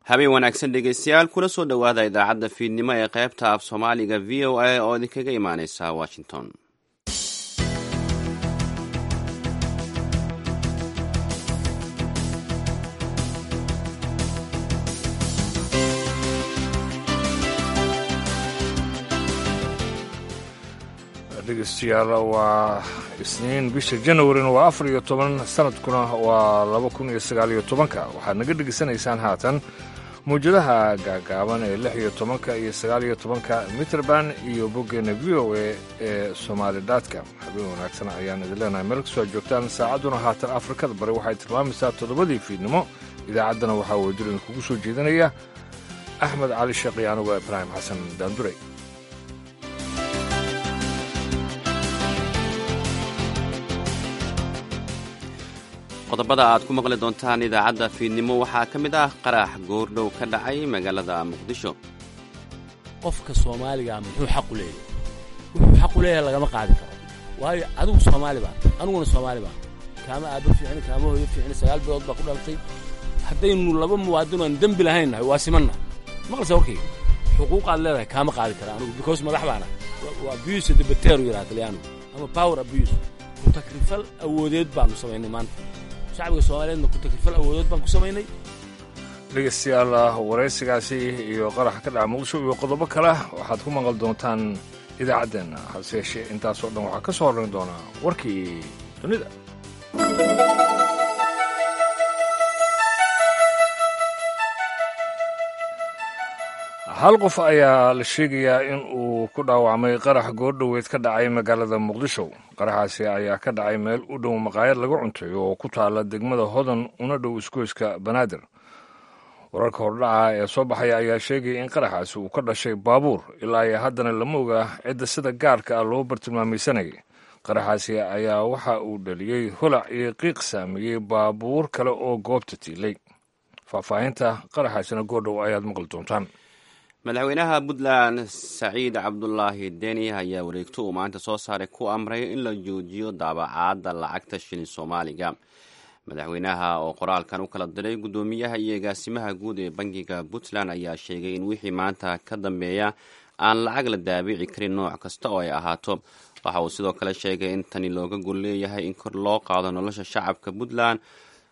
Habeen wanaagsan dhegeystayaal, kuna soo dhowaada idaacadda fiidnimo ee qaybta af Soomaaliga VOA oo idinkaga imaaneysa Washington. Dhegeystayaal, waa Isniin, bisha Janawarina waa 14, sanadkuna waa 2019-ka. Waxaad naga dhegeysanaysaan haatan mawjadaha gaagaaban ee 16-ka iyo 19-ka mitrband iyo boggeenna VOA ee Somaali dot com. Habeen wanaagsan ayaan idin leenahay meel kastoo aad joogtaan. Saacadduna haatan Afrikada Bari waxay tilmaamaysaa 7-dii fiidnimo. Idaacaddana waxaa wadajir idinkugu soo jeedinaya Axmed Cali Sheekh iyo anuga Ibraahim Xasan Daanduray. Qodobada aad ku maqli doontaan idaacadda fiidnimo waxaa ka mid ah qarax goordhow ka dhacay magaalada Muqdisho. Qofka Soomaaligaa muxuu xaq u leeyahay? Wuxuu xaq u leeyahay lagama qaadi karo, waayo adigu Soomaali baa, aniguna Soomaali baa. Kaama aabbo fiicin, kaama hooyo fiicin, 9 bilood baa ku dhalatay. Haddaynu laba muwaadin aan dembi lahayn nahay, waa simanna. Maqlaysa warkayga? Xuquuqaad leedahay kaama qaadi kara anigu, because madax baana. Waa abuse de potere yidhaha Talyaanigu, ama power abuse, ku takrifal awoodeed baanu samaynay maanta. Shacbiga Soomaaliyeedna ku takrifal awoodeed baan ku samaynay. Dhegeystayaal, waraysigaasi iyo qaraxa ka dhaca Muqdisho iyo qodobo kale waxaad ku maqal doontaan idaacaddeenna. Hase yeeshee, intaasoo dhan waxaa ka soo horrayn doonaa warkii dunida. Hal qof ayaa la sheegayaa in uu ku dhaawacmay qarax goordhoweed ka dhacay magaalada Muqdisho. Qaraxaasi ayaa ka dhacay meel u dhow maqaayad lagu cuntayo oo ku taala degmada Hodan, una dhow isgoyska Banaadir. Wararka hordhaca ee soo baxaya ayaa sheegaya in qaraxaasi uu ka dhashay baabuur. Ilaa iyo haddana lama oga cidda sida gaarka ah loo bartilmaamaysanayay. Qaraxaasi ayaa waxa uu dhaliyey holac iyo qiiq saameeyey baabuur kale oo goobta tiilay. Faahfaahinta qaraxaasina goordhow ayaad maqli doontaan. Madaxweynaha Puntland Saciid Cabdulaahi Deni ayaa wareegto uu maanta soo saaray ku amray in la joojiyo daabacaadda lacagta shilin Soomaaliga. Madaxweynaha oo qoraalkan u kala diray guddoomiyaha iyo agaasimaha guud ee bangiga Puntland ayaa sheegay in wixii maanta ka dambeeya aan lacag la daabici karin, nooc kasta oo ay ahaato. Waxa uu sidoo kale sheegay in tani looga gol leeyahay in kor loo qaado nolosha shacabka Puntland,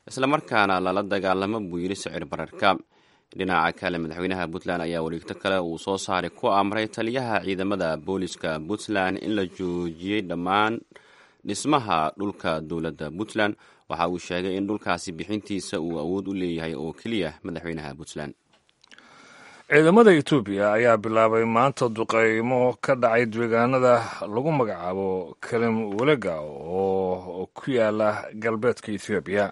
islamarkaana lala dagaalamo, buu yidhi, sicir bararka. Dhinaca kale, madaxweynaha Puntland ayaa wareegto kale uu soo saaray ku amray taliyaha ciidamada booliska Puntland in la joojiyey dhammaan dhismaha dhulka dowladda Puntland. Waxa uu sheegay in dhulkaasi bixintiisa uu awood u leeyahay oo keliya madaxweynaha Puntland. Ciidamada Etoobiya ayaa bilaabay maanta duqeymo ka dhacay deegaanada lagu magacaabo Kalim Welega oo ku yaala galbeedka Etoobiya.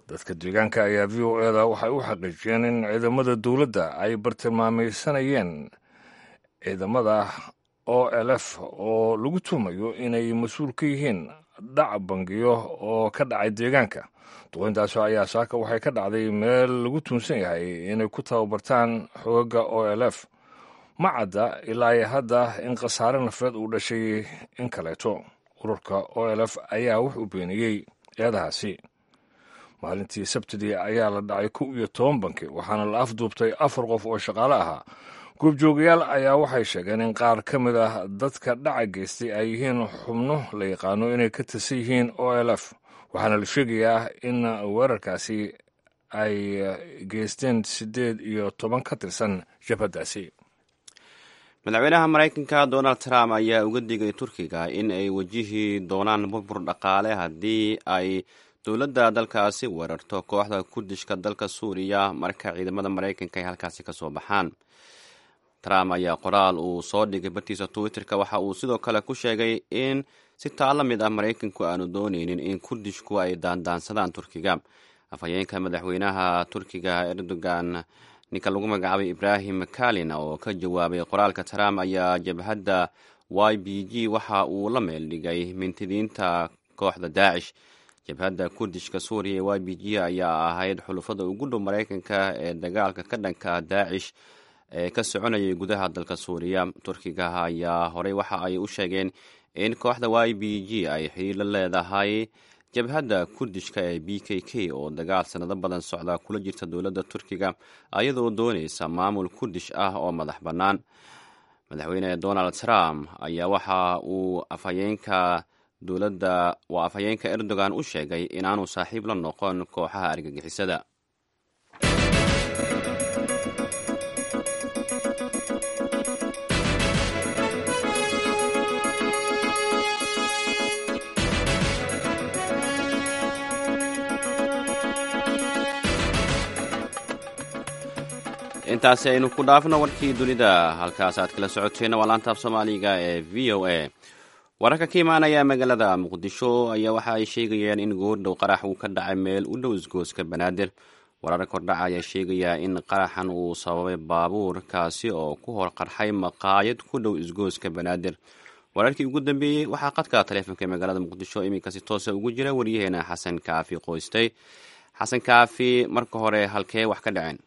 Dadka deegaanka ayaa VOA-da waxay u xaqiijiyeen in ciidamada dowladda ay bartilmaamaysanayeen ciidamada OLF oo lagu tuumayo inay mas-uul ka yihiin dhac bangiyo oo ka dhacay deegaanka. Duqeyntaasi ayaa saaka waxay ka dhacday meel lagu tuunsan yahay inay ku tababartaan xoogaga OLF. Ma cadda ilaa hadda in khasaare nafeed uu dhashay in kaleeto. Ururka OLF ayaa wuxuu beeniyey eedahaasi. Maalintii Sabtidii ayaa la dhacay 11 banki, waxaana la afduubtay afar qof oo shaqaale ahaa. Goobjoogayaal ayaa waxay sheegeen in qaar ka mid ah dadka dhaca geystay ay yihiin xubno la yaqaano inay ka tirsan yihiin OLF, waxaana la sheegayaa in weerarkaasi ay geysteen 18 ka tirsan jabhaddaasi. Madaxweynaha Maraykanka Donald Trump ayaa uga digay Turkiga in ay wajihi doonaan burbur dhaqaale haddii ay dowladda dalkaasi weerarto kooxda Kurdishka dalka Suuriya marka ciidamada Maraykanka ay halkaasi ka soo baxaan. Trump ayaa qoraal uu soo dhigay bartiisa Twitter-ka waxa uu sidoo kale ku sheegay in si taa la mid ah Maraykanku aanu dooneynin in Kurdishku ay daandaansadaan Turkiga. Afhayeenka madaxweynaha Turkiga Erdogan, ninka lagu magacaabay Ibrahim Kalin, oo ka jawaabay qoraalka Trump, ayaa jabhadda YPG waxa uu la meel dhigay mintidiinta kooxda Daacish. Jabhadda Kurdishka Suuriya ee YPG ayaa ahayd xulufada ugu dhow Maraykanka ee dagaalka ka dhanka Daacish ee ka soconayay gudaha dalka Suuriya. Turkiga ayaa horey waxa ay u sheegeen in kooxda YPG ay xiriir la leedahay Jabhadda Kurdishka ee B K K oo dagaal sannado badan socda kula jirta dowladda Turkiga, ayadoo doonaysa maamul Kurdish ah oo madax bannaan. Madaxweyne Donald Trump ayaa waxa uu afhayeenka dowladda waa afhayeenka Erdogan u sheegay inaanu saaxiib la noqon kooxaha argagixisada. Intaasi aynu ku dhaafno warkii dunida, halkaas aad kala socoteenna waa laanta af Soomaaliga ee V O A. Wararka ka imaanaya magaalada Muqdisho ayaa waxa ay sheegayaan in goordhow qarax uu ka dhacay meel u dhow isgooska Banaadir. Wararka kordhaca ayaa sheegaya in qaraxan uu sababay baabuur kaasi oo ku hor qarxay maqaayad ku dhow isgooska Banaadir. Wararkii ugu dambeeyey waxaa qadka taleefonka ee magaalada Muqdisho iminka si toosa ugu jira waryaheena Xasan Kaafi Qoystay. Xasan Kaafi, marka hore halkee wax ka dhaceen?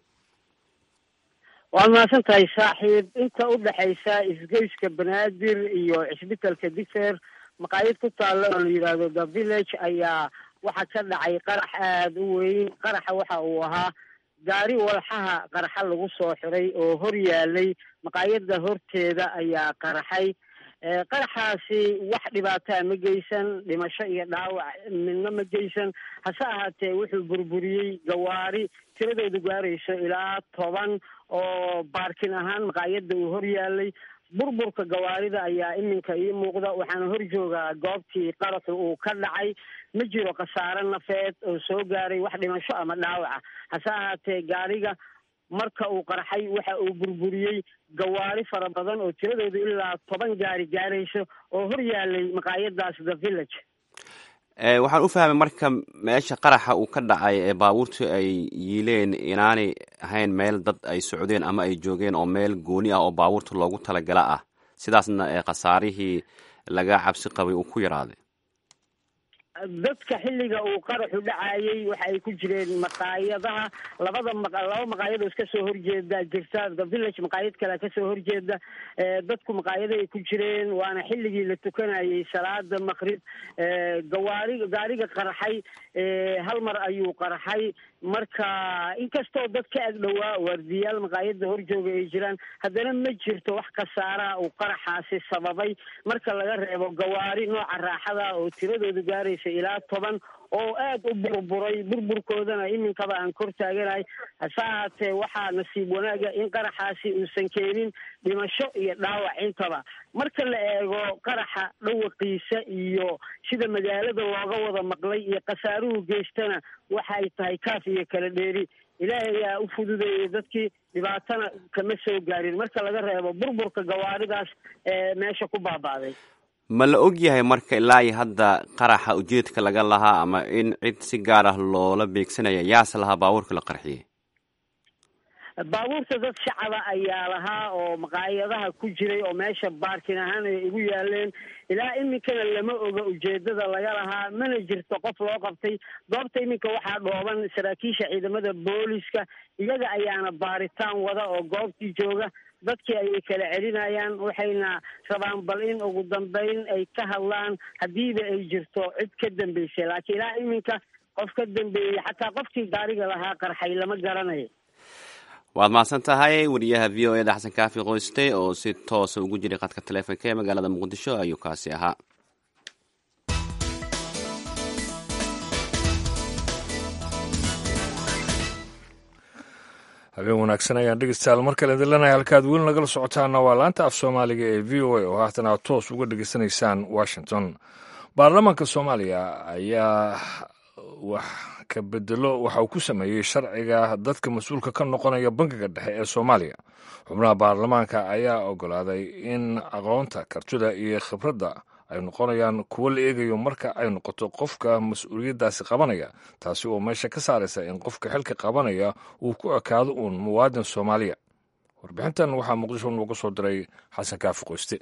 Waad mahadsan tahay saaxiib. Inta u dhexaysa isgoyska Banaadir iyo cisbitalka Digfer, maqaayad ku taalla oo la yidhaahdo The Village, ayaa waxaa ka dhacay qarax aada u weyn. Qaraxa waxa uu ahaa gaari walxaha qaraxa lagu soo xiray oo hor yaalay maqaayadda horteeda ayaa qaraxay. Qaraxaasi wax dhibaataa ma geysan, dhimasho iyo dhaawac midna ma geysan. Hase ahaatee wuxuu burburiyey gawaari tiradoodu gaarayso ilaa 10 oo baarkin ahaan maqaayadda uu hor yaalay. Burburka gawaarida ayaa iminka ii muuqda, waxaana hor joogaa goobtii qaraxu uu ka dhacay. Ma jiro khasaare nafeed oo soo gaaray, wax dhimasho ama dhaawaca. Hase ahaatee gaariga marka uu qarxay waxa uu burburiyey gawaari fara badan oo tiradoodu ilaa 10 gaari gaarayso oo hor yaalay maqaayadaas The Village. Waxaan u fahmay marka meesha qaraxa uu ka dhacay ee baabuurtu ay yiileen inaanay ahayn meel dad ay socdeen ama ay joogeen, oo meel gooni ah oo baabuurta loogu talagala ah, sidaasna ee khasaarihii laga cabsi qabay uu ku yaraaday. Dadka xilliga uu qaraxu dhacayay waxa ay ku jireen maqaayadaha. Labada laba maqaayad oo iska soo horjeeda jirta, The Village maqaayad kale kasoo horjeeda. Dadku maqaayada ay ku jireen, waana xilligii la tukanayay salaada maqrib. Gawaari gaariga qarxay hal mar ayuu qarxay. Marka inkastoo dad ka ag dhowaa waardiyaal maqaayada horjooga ay jiraan, haddana ma jirto wax khasaaraha uu qaraxaasi sababay, marka laga reebo gawaari nooca raaxada oo tiradoodu gaaraysa ilaa 10 oo aada u burburay, burburkoodana iminkaba aan kor taaganahay. Hase ahaatee waxaa nasiib wanaaga in qaraxaasi uusan keenin dhimasho iyo dhaawac intaba. Marka la eego qaraxa dhawaqiisa iyo sida magaalada looga wada maqlay iyo khasaaruhu geystana, waxay tahay kaaf iyo kala dheeri. Ilaahay ayaa u fududeeyey dadkii, dhibaatana kama soo gaarin marka laga reebo burburka gawaaridaas ee meesha ku baaba'day. Ma la og yahay marka ilaa iyo hadda qaraxa ujeedka laga lahaa ama in cid si gaar ah loola beegsanaya? Yaase lahaa baabuurka la qarxiyey? Baabuurta dad shacaba ayaa lahaa oo maqaayadaha ku jiray oo meesha baarkin ahaan ay ugu yaaleen. Ilaa iminkana lama oga ujeedada laga lahaa, mana jirto qof loo qabtay. Goobta iminka waxaa dhooban saraakiisha ciidamada booliska, iyaga ayaana baaritaan wada oo goobtii jooga. Dadkii ayay kala celinayaan, waxayna rabaan bal in ugu dambeyn ay ka hadlaan haddiiba ay jirto cid ka dambeysay, laakiin ilaa iminka qof ka dambeeyey, xataa qofkii gaariga lahaa qarxay, lama garanayo. Waad mahadsan tahay wariyaha V O E da Xasan Kaafi Qoyste oo si toosa ugu jiray khadka taleefonka ee magaalada Muqdisho ayuu kaasi ahaa. Habeen wanaagsan ayaan dhegeystayaal mar kale idin. Halkaad weli nagala socotaana waa laanta af Soomaaliga ee V O A oo haatan aad toos uga dhegeysanaysaan Washington. Baarlamaanka Soomaaliya ayaa wax ka bedelo waxa uu ku sameeyey sharciga dadka mas-uulka ka noqonaya Bangiga Dhexe ee Soomaaliya. Xubnaha baarlamaanka ayaa ogolaaday in aqoonta, kartida iyo khibradda ay noqonayaan kuwo la eegayo marka ay noqoto qofka mas-uuliyaddaasi qabanaya, taasi oo meesha ka saaraysa in qofka xilka qabanaya uu ku ekaado uun muwaadin Soomaaliya. Warbixintan waxaa Muqdisho nooga soo diray Xasan Kaafi Qoyste.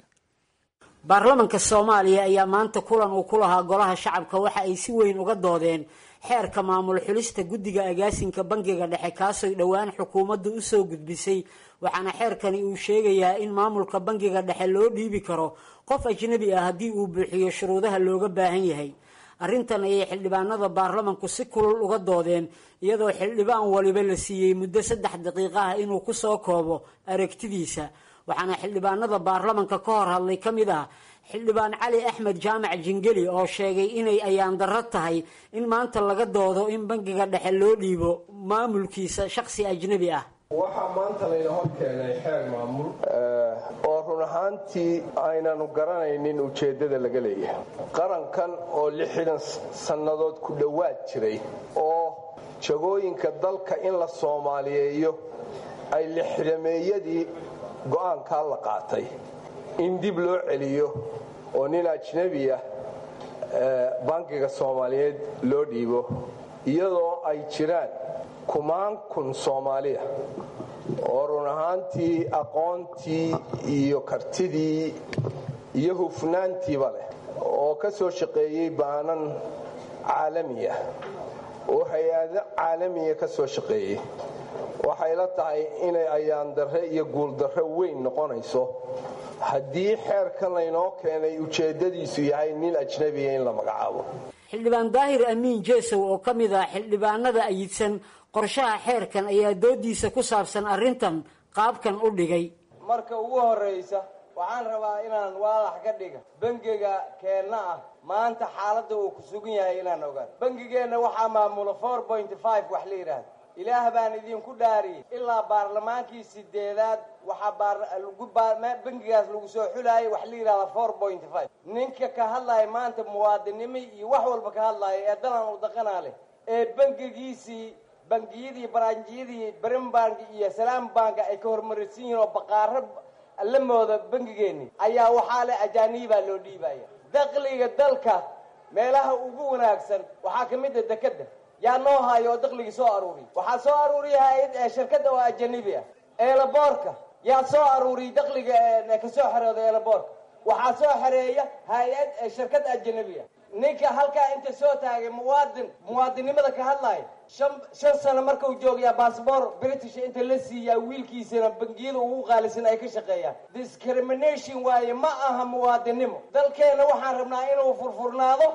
Baarlamanka Soomaaliya ayaa maanta kulan uu ku lahaa Golaha Shacabka waxa ay si weyn uga doodeen xeerka maamul xulista guddiga agaasinka Bangiga Dhexe, kaasoy dhowaan xukuumaddu usoo gudbisay. Waxaana xeerkani uu sheegayaa in maamulka Bangiga Dhexe loo dhiibi karo qof ajnabi ah haddii uu buuxiyo shuruudaha looga baahan yahay. Arrintan ayay xildhibaanada baarlamanku si kulul uga doodeen, iyadoo xildhibaan waliba la siiyey muddo 3 daqiiqo ah inuu ku soo koobo aragtidiisa. Waxaana xildhibaanada baarlamanka ka hor hadlay ka mid ah xildhibaan Cali Axmed Jaamac Jingeli oo sheegay inay ayaan darro tahay in maanta laga doodo in bangiga dhexe loo dhiibo maamulkiisa shakhsi ajnabi ah. Waxaa maanta layna hor keenay xeer maamul oo run ahaantii aynanu garanaynin ujeeddada laga leeyahay. Qarankan oo 60 sannadood ku dhowaad jiray oo jagooyinka dalka in la soomaaliyeeyo ay lixdameeyadii go'aankaa la qaatay in dib loo celiyo oo nin ajnabi ah bangiga soomaaliyeed loo dhiibo, iyadoo ay jiraan kumaan kun Soomaaliya oo run ahaantii aqoontii iyo kartidii iyo hufnaantiiba leh oo ka soo shaqeeyey baanan caalamiya oo hay-ado caalamiya ka soo shaqeeyey. Waxay la tahay inay ayaandarre iyo guuldarre weyn noqonayso haddii xeerkan laynoo keenay ujeeddadiisu yahay nin ajnabiya in la magacaabo. Xildhibaan Daahir Amiin Jeesow oo ka mid ah xildhibaanada ayidsan qorshaha xeerkan ayaa doodiisa ku saabsan arrintan qaabkan u dhigay. Marka ugu horraysa waxaan rabaa inaan waadax ka dhiga bangiga keenna ah maanta xaaladda uu ku sugan yahay inaan ogaan. Bangigeenna waxaa maamula 4.5 wax la yidhaahda. Ilaah baan idinku dhaariyey, ilaa baarlamaankii 8aad waxaa bangigaas lagu soo xulaayay wax la yidhahda 4.5. Ninka ka hadlaaya maanta muwaadinimo iyo wax walba ka hadlaaya ee dalan u daqanaa leh ee bangigiisii bangiyadii baranjiyadii Brimbank iyo Salaam Bank ay ka hormarisan yihiin oo baqaaro la mooda bangigeenni ayaa waxaa leh ajaanibaa loo dhiibaya. Dakhliga dalka meelaha ugu wanaagsan waxaa ka mid a dekadda yaa noo hayo oo dakhligii soo aruuriy. Waxaa soo aruuriya hay-ad shirkadda oo ajanibi ah. Eelaboorka yaa soo aruuriyay dakhliga kasoo xerooda eelaboorka, waxaa soo xereeya hay-ad shirkad ajanabi ah. Ninka halkaa inta soo taagay muwaadinnimada ka hadlaaya 5 sano markuu joogayaa baasboor British inta la siiyaa wiilkiisana bangiyada ugu qaalisan ay ka shaqeeyaan. Discrimination waaye, ma aha muwaadinnimo. Dalkeenna waxaan rabnaa inuu furfurnaado,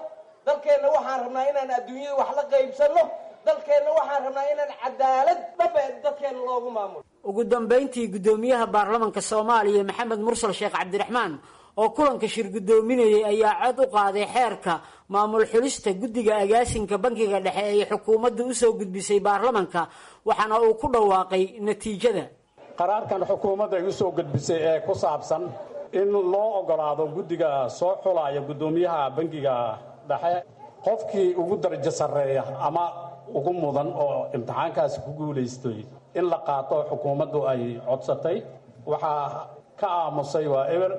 dalkeenna waxaan rabnaa inaan adduunyada wax la qaybsanno, dalkeenna waxaan rabnaa inaan cadaalad dhaba dadkeenna loogu maamulo. Ugu dambayntii guddoomiyaha baarlamanka Soomaaliya Maxamed Mursal Sheekh Cabdiraxmaan oo kulanka shir guddoominayay ayaa cod u qaaday xeerka maamul xulista guddiga agaasinka bangiga dhexe ee xukuumadda usoo gudbisay baarlamanka, waxaana uu ku dhawaaqay natiijada. Qaraarkan xukuumadda ay usoo gudbisay ee ku saabsan in loo ogolaado guddiga soo xulaya guddoomiyaha bangiga dhexe qofkii ugu darajo sarreeya ama ugu mudan oo imtixaankaasi ku guulaystay in la qaato xukuumaddu ay codsatay, waxaa ka aamusay waa eber,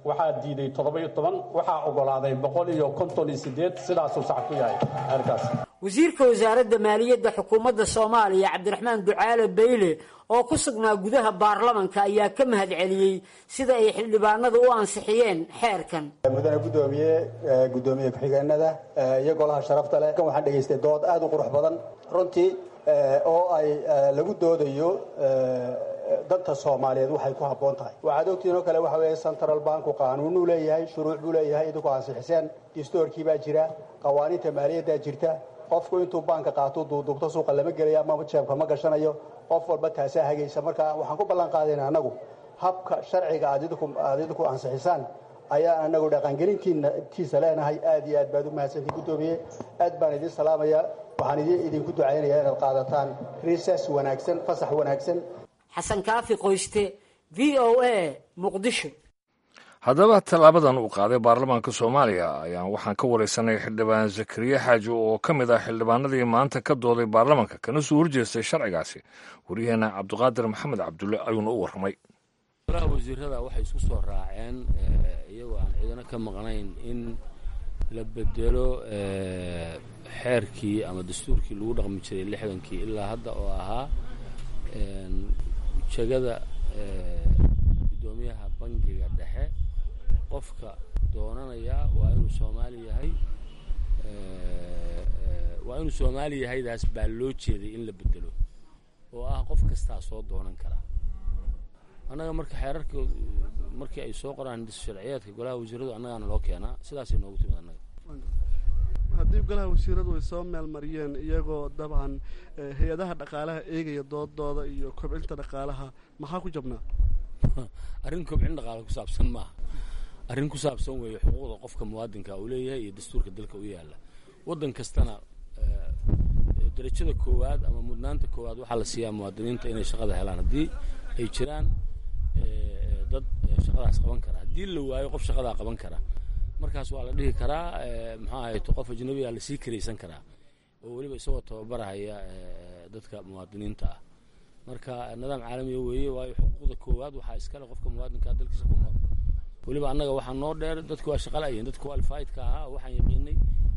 waxaa diiday 17, waxaa ogolaaday 158. Sidaasuu sax ku yahay xeerkaas. Wasiirka wasaaradda maaliyadda xukuumadda Soomaaliya Cabdiraxmaan Ducaale Beyle oo ku sugnaa gudaha baarlamanka ayaa ka mahadceliyey sida ay xildhibaanadu u ansixiyeen xeerkan. Mudane guddoomiye, guddoomiye ku-xigeenada iyo golaha sharafta leh, kan waxaan dhegaystay dood aad u qurux badan runtii oo ay lagu doodayo danta Soomaaliyeed waxay ku habboon tahay. Waxaad ogtihiin oo kale waxa weeye central banku qaanuunuu leeyahay, shuruuc buu leeyahay, idinku ansixiseen, distoorkii baa jira, qawaaniinta maaliyaddaa jirta. Qofku intuu baanka qaato duuduubto suuqa lama gelaya ama jeebka ma gashanayo, qof walba taasaa hagaysa. Marka waxaan ku ballan qaadayna annagu habka sharciga aad idinku ansixisaan ayaa anagu dhaqangelintiisa leenahay. Aad iyo aad baad u mahadsantii guddoomiye, aad baan idiin salaamayaa, waxaan idinku ducaynayaa inaad qaadataan recess wanaagsan, fasax wanaagsan. Xasan Kaafi Qoyste, VOA, Muqdisho. Haddaba tallaabadan uu qaaday baarlamaanka Soomaaliya ayaan waxaan ka wareysanay xildhibaan Zakariya Xaaji oo ka mid ah xildhibaanadii maanta ka dooday baarlamaanka kana soo horjeestay sharcigaasi. Waryaheena Cabdiqaadir Maxamed Cabdulle ayuuna u warramay. Golaha wasiirada waxay isku soo raaceen iyagoo aan ciidano ka maqnayn in la bedelo xeerkii ama dastuurkii lagu dhaqmi jiray 60kii ilaa hadda oo ahaa jegada guddoomiyaha bangiga dhexe qofka doonanaya waa inuu Soomaali yahay, waa inuu Soomaali yahaydaas baa loo jeeday in la bedelo oo ah qof kastaa soo doonan karaa. Annaga marka xeerarka markii ay soo qoraan sharciyeedka golaha wasiiradu annagaana loo keenaa, sidaasay noogu timid annaga. Haddii golaha wasiiradu ay soo meelmariyeen iyagoo dabcan hay-adaha dhaqaalaha eegaya doodooda iyo kobcinta dhaqaalaha, maxaa ku jabnaa? Arrin kobcin dhaqaala ku saabsan maaha, arrin ku saabsan weeye xuquuqda qofka muwaadinka uu leeyahay iyo dastuurka dalka u yaalla. Waddan kastana darajada koowaad ama mudnaanta koowaad waxaa la siiyaa muwaadiniinta inay shaqada helaan, haddii ay jiraan dad shaqadaas qaban kara. Haddii la waayo qof shaqadaa qaban kara, markaas waa la dhihi karaa, muxuu ahayto, qof ajnabigaa lasii karaysan karaa, oo weliba isagoo tababarahaya dadka muwaadiniinta ah. Marka nidaam caalamiya weeye, waayo xuquuqda koowaad waxaa iskale qofka muwaadinkaa dalkiisa ku nool. Weliba annaga waxaa noo dheer, dadku waa shaqa la'yihin. Dadka qualifiedka ahaa waxaan yaqiinay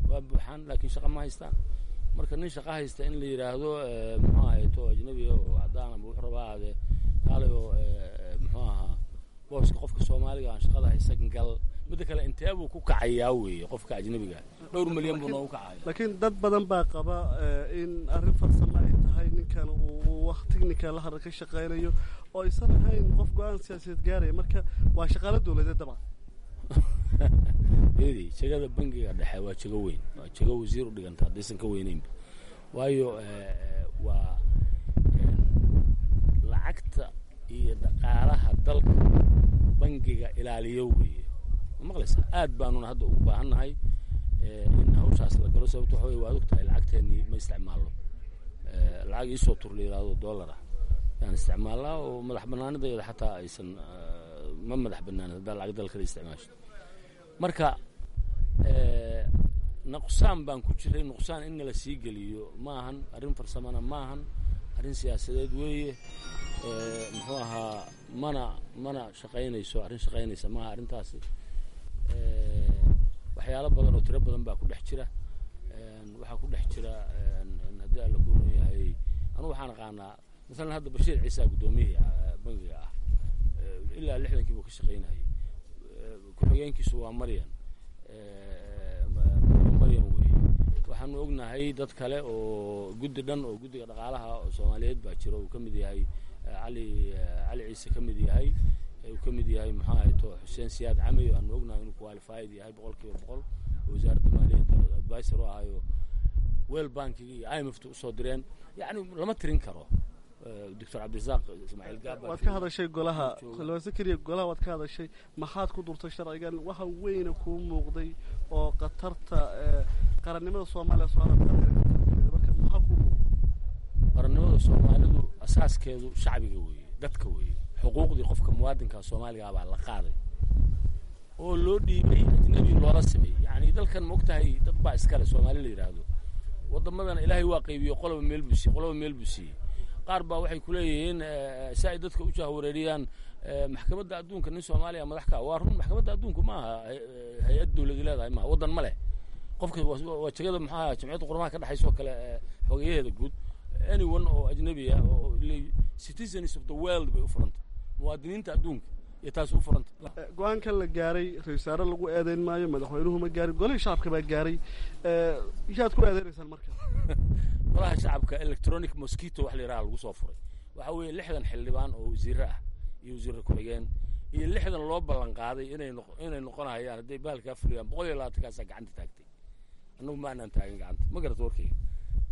waa buuxaan, laakiin shaqa ma haystaan. Marka nin shaqa haysta in la yidhaahdo, muxuu ahayto, ajnabiga oo caddaan ama wuxuu rabaa ahaadee, kaalay oo muxuu ahaa booska qofka Soomaaliga aan shaqada haysan gal. Midda kale, intee buu ku kacayaa weeye qofka ajnabiga? Dhowr milyan buu noogu kacaya. Laakiin dad badan baa qaba in arrin farsamo ay tahay, ninkan uu wax technical la ka shaqaynayo oo aysan ahayn qof go-aan siyaasadeed gaaraya. Marka waa shaqaalo dowladeed dabcan. Eedi, jegada bangiga dhexe waa jego weyn, waa jego wasiir u dhiganta haddaysan ka weyneynba, waayo waa lacagta iyo dhaqaalaha dalka bangiga ilaaliyo weeye. Ma maqlaysaa? Aad baanuna hadda ugu baahannahay in hawshaas la galo. Sababto waxa wey, waad og tahay, lacagteennii ma isticmaalno. Lacag iisoo tur la yidhaahdo dollar ah yaan isticmaalnaa, oo madax bannaanidayada xataa aysan, ma madax bannaanin haddaa lacag dal kale isticmaasho. Marka nuqsaan baan ku jiray, nuqsaan in nala sii geliyo ma ahan. Arrin farsamana ma ahan, arrin siyaasadeed weeye. Muxuu ahaa, mana shaqaynayso, arrin shaqaynaysa maaha arrintaasi. Waxyaalo badan oo tiro badan baa ku dhex jira. Waxaa ku dhex jira, haddii Alla ku run yahay, anugu waxaan aqaanaa masalan hadda Bashiir Ciisa, guddoomiyihii bangiga ah, ilaa 60kii buu ka shaqaynayay. Ku-xigeenkiisu waa Maryan, Maryan weeye. Waxaanu ognahay dad kale oo guddi dhan oo guddiga dhaqaalaha oo Soomaaliyeed baa jiro, uu ka mid yahay Cali Ciise, ka mid yahay, uu ka mid yahay, muxuu ahayto, Xuseen Siyaad Camey, aanu ognahay inuu qualified yahay 100%, oo wasaaradda maaliyadda advisor u ahayo, World Bankiga iyo IMF ta usoo direen. Yacni lama tirin karo. Doctor Cabdirasaaq Ismaaciil Gaaba. Waad ka hadashay golaha, xildhibaan Zakariya, golaha waad ka hadashay. Maxaad ku durtay sharcigan? Waxa weyna kuu muuqday oo khatarta qarannimada Soomaaliya soo marka maxaa kuu muuqday? Qarannimada Soomaalidu asaaskeedu shacbiga weeye, dadka weeye. Xuquuqdii qofka muwaadinka Soomaaliga baa la qaaday oo loo dhiibay ajnabi loola sameeyey. Yacni dalkan, ma ogtahay, dad baa iskale Soomaali la yidhaahdo. Waddamadana Ilaahay waa qaybiyo, qoloba meel buu siiyey, qoloba meel buu siiyey. Qaar baa waxay ku leeyihiin, si ay dadka u jahwareeriyaan, maxkamadda adduunka nin Soomaaliya madax ka ah. Waa run, maxkamadda adduunku ma aha hay-ad dowladi leedahay, maaha, waddan ma leh. Qofka waa jegada, maxaa, Jamciyadda Quruumaha ka dhexaysa oo kale, xogeyaheeda guud, anyone oo ajnabi ah oo citizens of the world bay u furanta, muwaadiniinta adduunka iyo taas u furanta. Go-aankan la gaaray ra-isul wasaare lagu eedeyn maayo, madaxweynuhu ma gaarin, golihii shacabka baa gaaray. Yaad ku eedeynaysaan marka? Golaha shacabka electronic mosquito wax la yidhaha lagu soo furay. Waxa weeye 60 xildhibaan oo wasiirre ah iyo wasiirre ku-xigeen iyo 60 loo ballan qaaday inay noqonayaan hadday bahalkaa fuliyaan, 120kaasaa gacanta taagtay. Annagu ma aanaan taagin gacanta. Ma garata warkayga?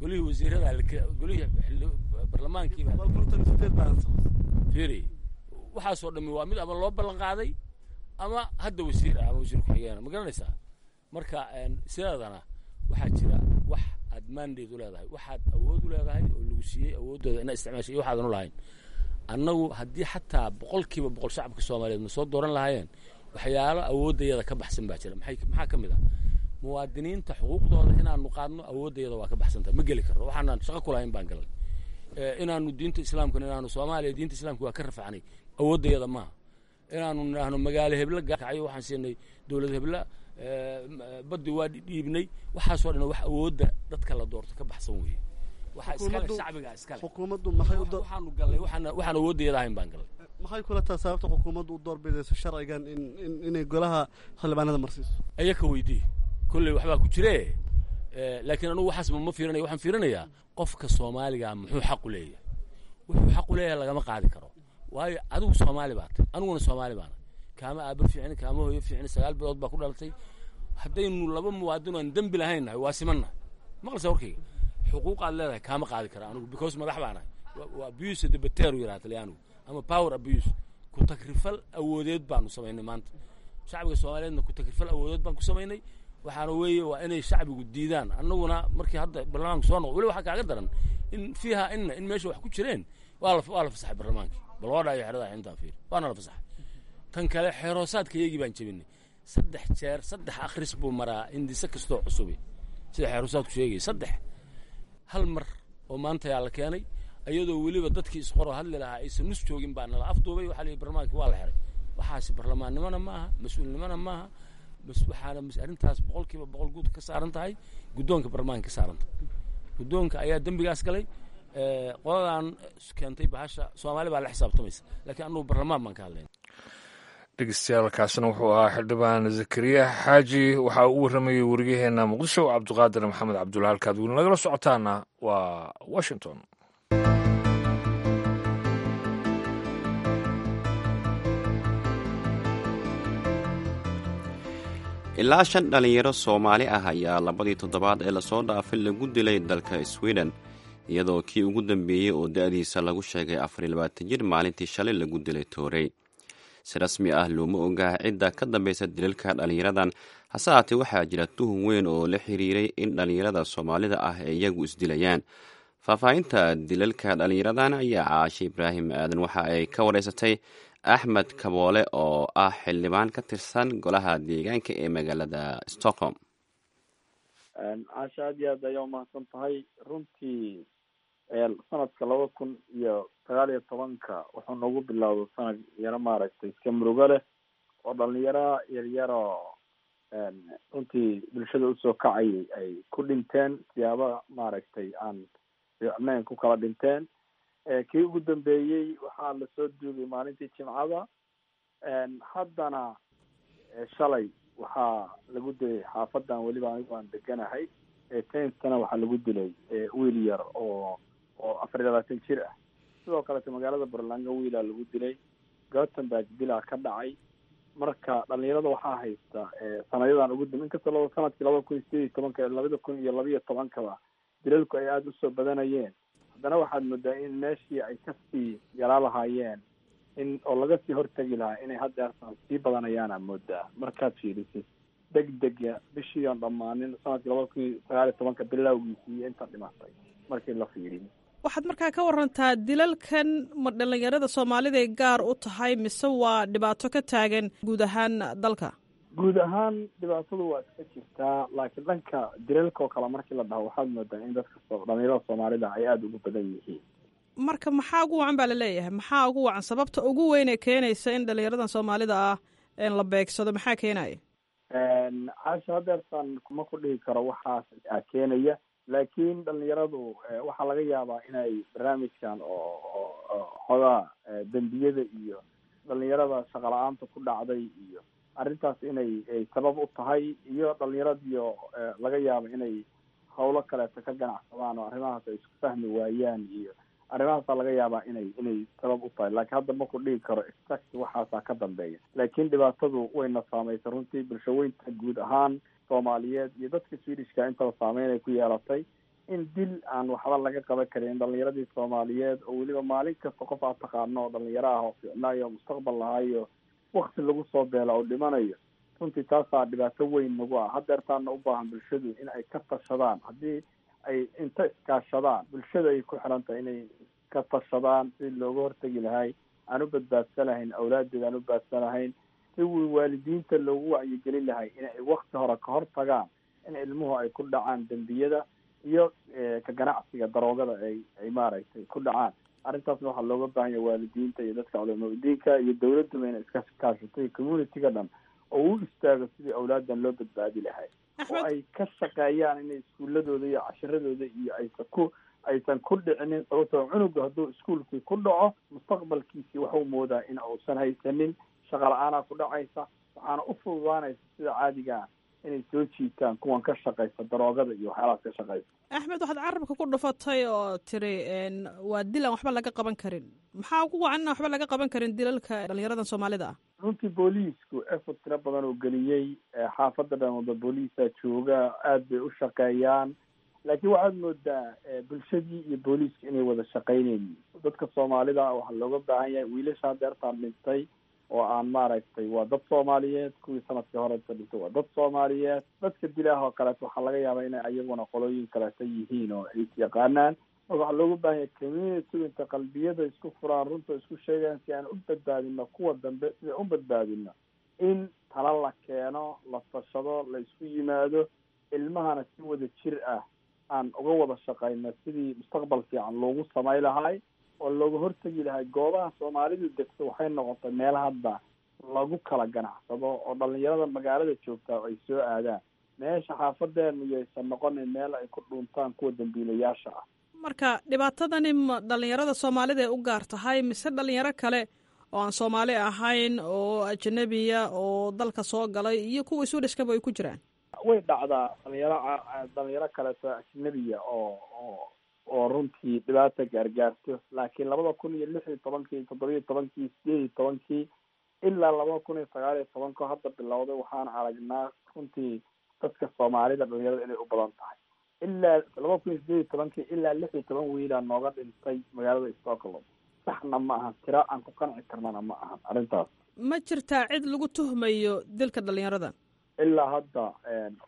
Golihii wasiirada, golihii barlamaankiiba fiiri, waxaasoo dhami waa mid ama loo ballan qaaday ama hadda wasiir ah ama wasiir ku-xigeena. Ma garanaysaa? Marka sideedana waxaa jira wax aad mandate u leedahay, waxaad awood u leedahay oo lagu siiyey awooddooda inaad isticmaashay, iyo waxaadan u lahayn. Annagu haddii xataa 100% shacabka Soomaaliyeed ma soo dooran lahaayeen, waxyaalo awooddayada ka baxsan baa jira. Maxaa ka mid ah? Muwaadiniinta xuquuqdooda inaanu qaadno awooddayada waa ka baxsantah, ma geli karno. Waxaanaan shaqo ku lahayn baan galnay. Inaanu diinta islaamkana, inaanu Soomaaliya diinta islaamka waa ka rafacnay, awooddayada maaha. Inaanu nidhaahno magaalo hebla gakacayo waxaan siinay dowlad hebla, baddi waa dhiibnay, waxaasoo dhan wax awoodda dadka la doorto ka baxsan weeye. Waxaa iskale shacbiga iskale. Xukuumaddu maxay u Waxaanu gallay waxaan awooddayada ahayn baan gallay. Maxay kula tahay sababta xukuumaddu u doorbidayso sharcigan in inay golaha xildhibaanada marsiiso? Ayaka weydii, kolley waxbaa ku jire. Laakiin anugu waxaas ma fiirinaya. Waxaan fiirinayaa qofka Soomaaliga muxuu xaq u leeyahay. Wuxuu xaq u leeyahay lagama qaadi karo, waayo adigu Soomaali baa tay, aniguna Soomaali baana. Kaama aaba fiicin, kaama hooyo fiicin, 9 bilood baa ku dhalatay. Haddaynu laba muwaadin aan dembi lahayn nahay, waa simannahay. Maqlaysa warkayga? Xuquuq aad leedahay kaama qaadi kara anigu, because madax baan ahay. Waa abuse de potere yidhaha Talyaanigu, ama power abuse, ku takrifal awoodeed baanu samaynay maanta. Shacbiga Soomaaliyeedna ku takrifal awoodeed baan ku samaynay. Waxaana weeye waa inay shacbigu diidaan. Annaguna markii hadda barlamaanka soo noqo, weli waxaa kaaga daran in fiiha inna in meesha wax ku jireen waa la fasaxay barlamaankii. Bal waa dhaayo xerada intaa fiir, waana la fasaxay. Tan kale, xeeroosaadka iyagii baan jebinay 3 jeer. 3 akhris buu maraa hindise kastoo cusubi, sida xeeroosaadku sheegaya. 3 hal mar oo maanta yaa la keenay, iyadoo weliba dadkii isqoro hadli lahaa aysan nus joogin baa nala afduubay. Waxaa la yidhi barlamaankii waa la xiray. Waxaasi barlamaannimona maaha, mas-uulnimona maaha. Waxaana arrintaas 100% guud ka saaran tahay guddoonka barlamaanka ka saaran tahay. Guddoonka ayaa dembigaas galay. Qoladan keentay bahasha Soomaali baa la xisaabtamaysa, laakiin annugu barlamaan baan ka hadlayna. Dhegeystayaal, kaasina wuxuu ahaa xildhibaan Zakariya Xaaji. Waxaa uu warramayey weriyaheena Muqdisho, Cabdiqaadir Maxamed Cabdulla. Halkaad weli nagala socotaana waa Washington. Ilaa shan dhallinyaro Soomaali ah ayaa labadii toddobaad ee lasoo dhaafay lagu dilay dalka Sweden, iyadoo kii ugu dambeeyey oo da-diisa lagu sheegay 24 jir maalintii shalay lagu dilay toorey. Si rasmi ah looma ogaa cidda ka dambeysa dilalka dhallinyaradan, hase haatee waxaa jira tuhun weyn oo la xiriiray in dhallinyarada Soomaalida ah ay iyagu isdilayaan. Faahfaahinta dilalka dhallinyaradan ayaa Caashe Ibraahim Aadan waxa ay ka wareysatay Axmed Kaboole oo ah xildhibaan ka tirsan golaha deegaanka ee magaalada Stockholm. Caasha, aad iyo aad ayaa umahadsan tahay. Runtii sanadka 2019-ka wuxuu nagu bilowday sanad yaro maaragtay iska murugo leh, oo dhalinyaro yaryaroo runtii bulshada usoo kacayay ay ku dhinteen siyaaba maaragtay aan fiicnayn ku kala dhinteen. Kii ugu dambeeyey waxaa lasoo duugay maalintii Jimcada. Haddana shalay waxaa lagu dilay xaafadan weliba anigu aan deganahay Tenstana, waxaa lagu dilay wiil yar oo 24 jir ah. Sidoo kaleeto magaalada Burlanga wiilaa lagu dilay, Gothenburg dilaa ka dhacay. Marka dhalinyarada waxaa haysta sanadyadan ugu dambe, inkastoo laba sanadkii 2018-ka, 2012-kaba dilalku ay aada usoo badanayeen, haddana waxaad moodaa in meeshii ay kasii yaraa lahaayeen in oo laga sii hortegi lahaa inay haddeertaan sii badanayaana moodaa. Markaad fiirisid degdega bishii oon dhammaanin sanadkii 2019-ka bilowgiisii iyo inta dhimatay markii la fiiriyo. Waxaad markaa ka warantaa dilalkan, ma dhalinyarada Soomaaliday gaar u tahay mise waa dhibaato ka taagan guud ahaan dalka? Guud ahaan dhibaatadu waa iska jirtaa, laakiin dhanka dilalka oo kale markii la dhaho waxaad moodaa in dadka dhalinyarada Soomaalida ay aada ugu badan yihiin. Marka maxaa ugu wacan baa laleeyahay? Maxaa ugu wacan, sababta ugu weyn ee keenaysa in dhalinyaradan Soomaalida ah la beegsado, maxaa keenaya? Caasha, hadeertaan ma ku dhihi karo waxaas keenaya, laakiin dhalinyaradu waxaa laga yaabaa inay barnaamijkan oo xogaa dembiyada iyo dhalinyarada shaqala-aanta ku dhacday iyo arrintaas inay sabab u tahay, iyo dhalinyaradiyo laga yaabo inay hawlo kaleeto ka ganacsadaan oo arrimahaas ay isku fahmi waayaan, iyo arrimahaasaa laga yaabaa inay sabab u tahay. Laakiin hadda ma ku dhihi karo exact waxaasaa ka dambeeya, laakiin dhibaatadu wayna saameysay runtii bulshaweynta guud ahaan Soomaaliyeed iyo dadka Swedishka intaba saameyn ay ku yeelatay, in dil aan waxba laga qaban karin dhalinyaradii Soomaaliyeed, oo weliba maalin kasta qof aad taqaano oo dhalinyaro ah oo fiicnaayo oo mustaqbal lahaayo wakti lagu soo beela oo dhimanayo. Runtii taasaa dhibaato weyn nagu ah. Hadeertaana u baahan bulshadu in ay ka tashadaan. Haddii ay inta iskaashadaan, bulshada ay ku xiran tahay inay ka tashadaan sidii looga hortegi lahay, aan u badbaadsan lahayn awlaadeeda, aan u badbaadsan lahayn, si waalidiinta loogu wacyigelin lahay in ay wakti hore ka hor tagaan in ilmuhu ay ku dhacaan dembiyada iyo ka ganacsiga daroogada ay maaragtay ku dhacaan. Arrintaasna waxaa looga baahan yahay waalidiinta iyo dadka culamaa udiinka iyo dawladduba inay iska kaashatay, community-ga dhan oo u istaago sidii awlaadan loo badbaadi lahay, oo ay ka shaqeeyaan inay iskuuladooda iyo cashiradooda iyo aysan ku dhicinin. Sababtoo cunuga hadduu iskuulkii ku dhaco, mustaqbalkiisii waxuu moodaa in uusan haysanin, shaqa la-aanaa ku dhacaysa, waxaana u fududaanaysa sida caadigaa inay soo jiitaan kuwan ka shaqaysa daroogada iyo waxyaalahaas ka shaqaysa. Axmed, waxaad carabka ku dhufatay oo tiri waa dil aan waxba laga qaban karin. Maxaa ugu wacan inaan waxba laga qaban karin dilalka dhalinyaradan Soomaalida ah? Runtii booliisku effort tiro badan oo geliyey, xaafadda dhan wada booliisa jooga, aada bay u shaqeeyaan, laakiin waxaad moodaa bulshadii iyo booliisku inay wada shaqeynaynin. Dadka Soomaalida waxaa looga baahan yahay wiilasha hadeertaan dhintay oo aan maaragtay waa dad Soomaaliyeed, kuwii sanadkii horeta dhintay waa dad Soomaaliyeed. Dadka dilaah oo kaleeto waxaa laga yaabaa inay ayaguna qolooyin kaleeto yihiin oo ay yaqaanaan. Marka waxaa looga baahan yahay community inta qalbiyada isku furaan, runta isku sheegaan, si aan u badbaadino kuwa dambe, sida u badbaadino in tala la keeno, la tashado, la isku yimaado, ilmahana si wada jir ah aan uga wada shaqeyno sidii mustaqbal fiican loogu samay lahay oo looga hortegi lahay. Goobaha Soomaalidu degto waxay noqotay meel hadda lagu kala ganacsado oo dhalinyarada magaalada joogtaa ay soo aadaan meesha xaafadeena, iyo aysan noqonin meel ay ku dhuuntaan kuwa dambiilayaasha ah. Marka dhibaatadani ma dhalinyarada Soomaalida ay u gaar tahay mise dhalinyaro kale oo aan Soomaali ahayn oo ajanabiya oo dalka soo galay iyo kuwa Swedishkaba ay ku jiraan? Way dhacdaa dhalinyaro kaleeto ajnabiya oo runtii dhibaata gaargaarto, laakiin 2016-kii, 17-kii, 18-kii ilaa 2019-ka hadda bilowday waxaan aragnaa runtii dadka Soomaalida dhalinyarada inay u badan tahay. Ilaa 2018-kii ilaa 16 wiilaa nooga dhintay magaalada Stockholm. Saxna ma ahan, tira aan ku qanci karnana ma ahan arrintaas. Ma jirtaa cid lagu tuhmayo dilka dhalinyarada? Ilaa hadda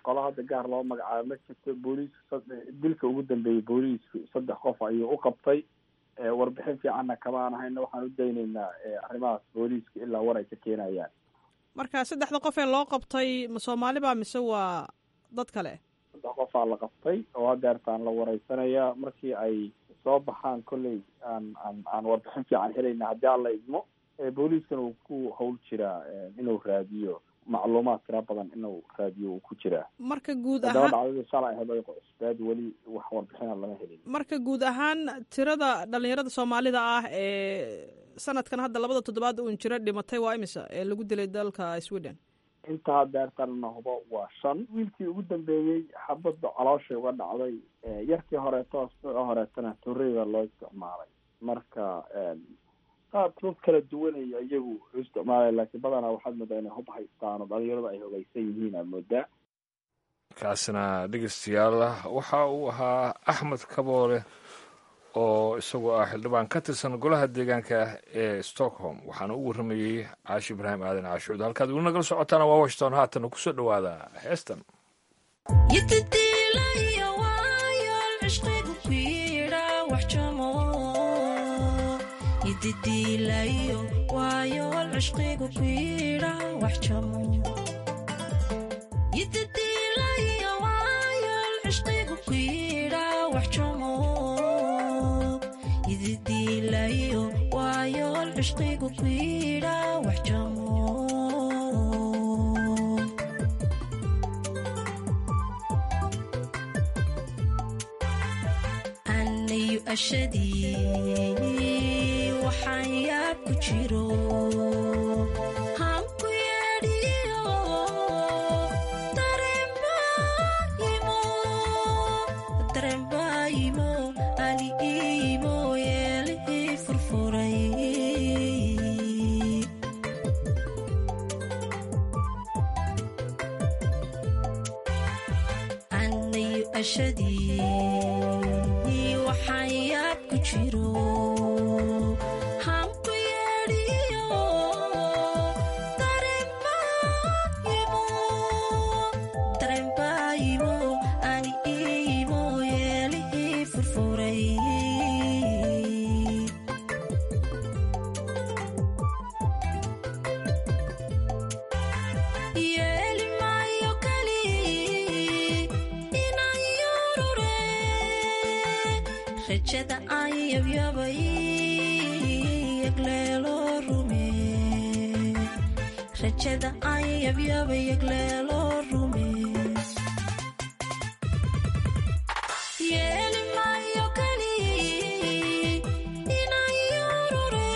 qolo hadda gaar loo magacaabo ma jirto. Booliisku dilka ugu dambeeyey booliisku 3 qof ayuu u qabtay. Warbixin fiicanna kama aan hayno, waxaan u daynaynaa arrimahaas booliiska ilaa war ay ka keenayaan. Marka saddexda qof ee loo qabtay ma Soomaali baa mise waa dad kale? 3 qofaa la qabtay oo hadeertaan la wareysanayaa. Markii ay soo baxaan kolley aan warbixin fiican helayna haddii Alla idmo. Booliiskana uu ku hawl jiraa inuu raadiyo macluumaad tira badan, inuu raadiyo uu ku jiraa. Marka guud haddaba ahaan dhacdadii shalay ahayd ay cusbeed, weli wax warbixina lama helin. Marka guud ahaan tirada dhalinyarada Soomaalida ah ee sanadkan hadda labada toddobaad uun jira dhimatay waa imisa ee lagu dilay dalka Sweden? Inta hadeertan na hubo waa 5. Wiilkii ugu dambeeyey xabadda calooshay uga dhacday, yarkii horeeto asbuuca horeetana torreyda loo isticmaalay. Marka qaab dad kala duwanaya iyagu u isticmaalay, laakiin badanaa waxaad moodaa inay hub haystaan oo dhalinyaradu ay hogeysan yihiin aad moodaa. Kaasina dhegeystayaal waxa uu ahaa Axmed Kaboole oo isagoo ah xildhibaan ka tirsan golaha deegaanka ee Stockholm, waxaana u warramayey Caashi Ibraahim Aadan Caashuud. Halkaad weli nagala socotaana waa Washington. Haatana kusoo dhowaada heestan. Waxaan yaab ku jiro hanku yeedhiyo dareenbaayimo ali iimo yeelihii furfuray. Anayu ashadii waxaan yaab ku jiro hanku yeedhiyo dareenbaayimo ani iimo yeelihii furfuray. Yeeli maayo kali inaan yurure rajada aan yabyabay yagleelo rume, rajada aan yabyabay yagleelo rume. Yeeli maayo kali inaan yurure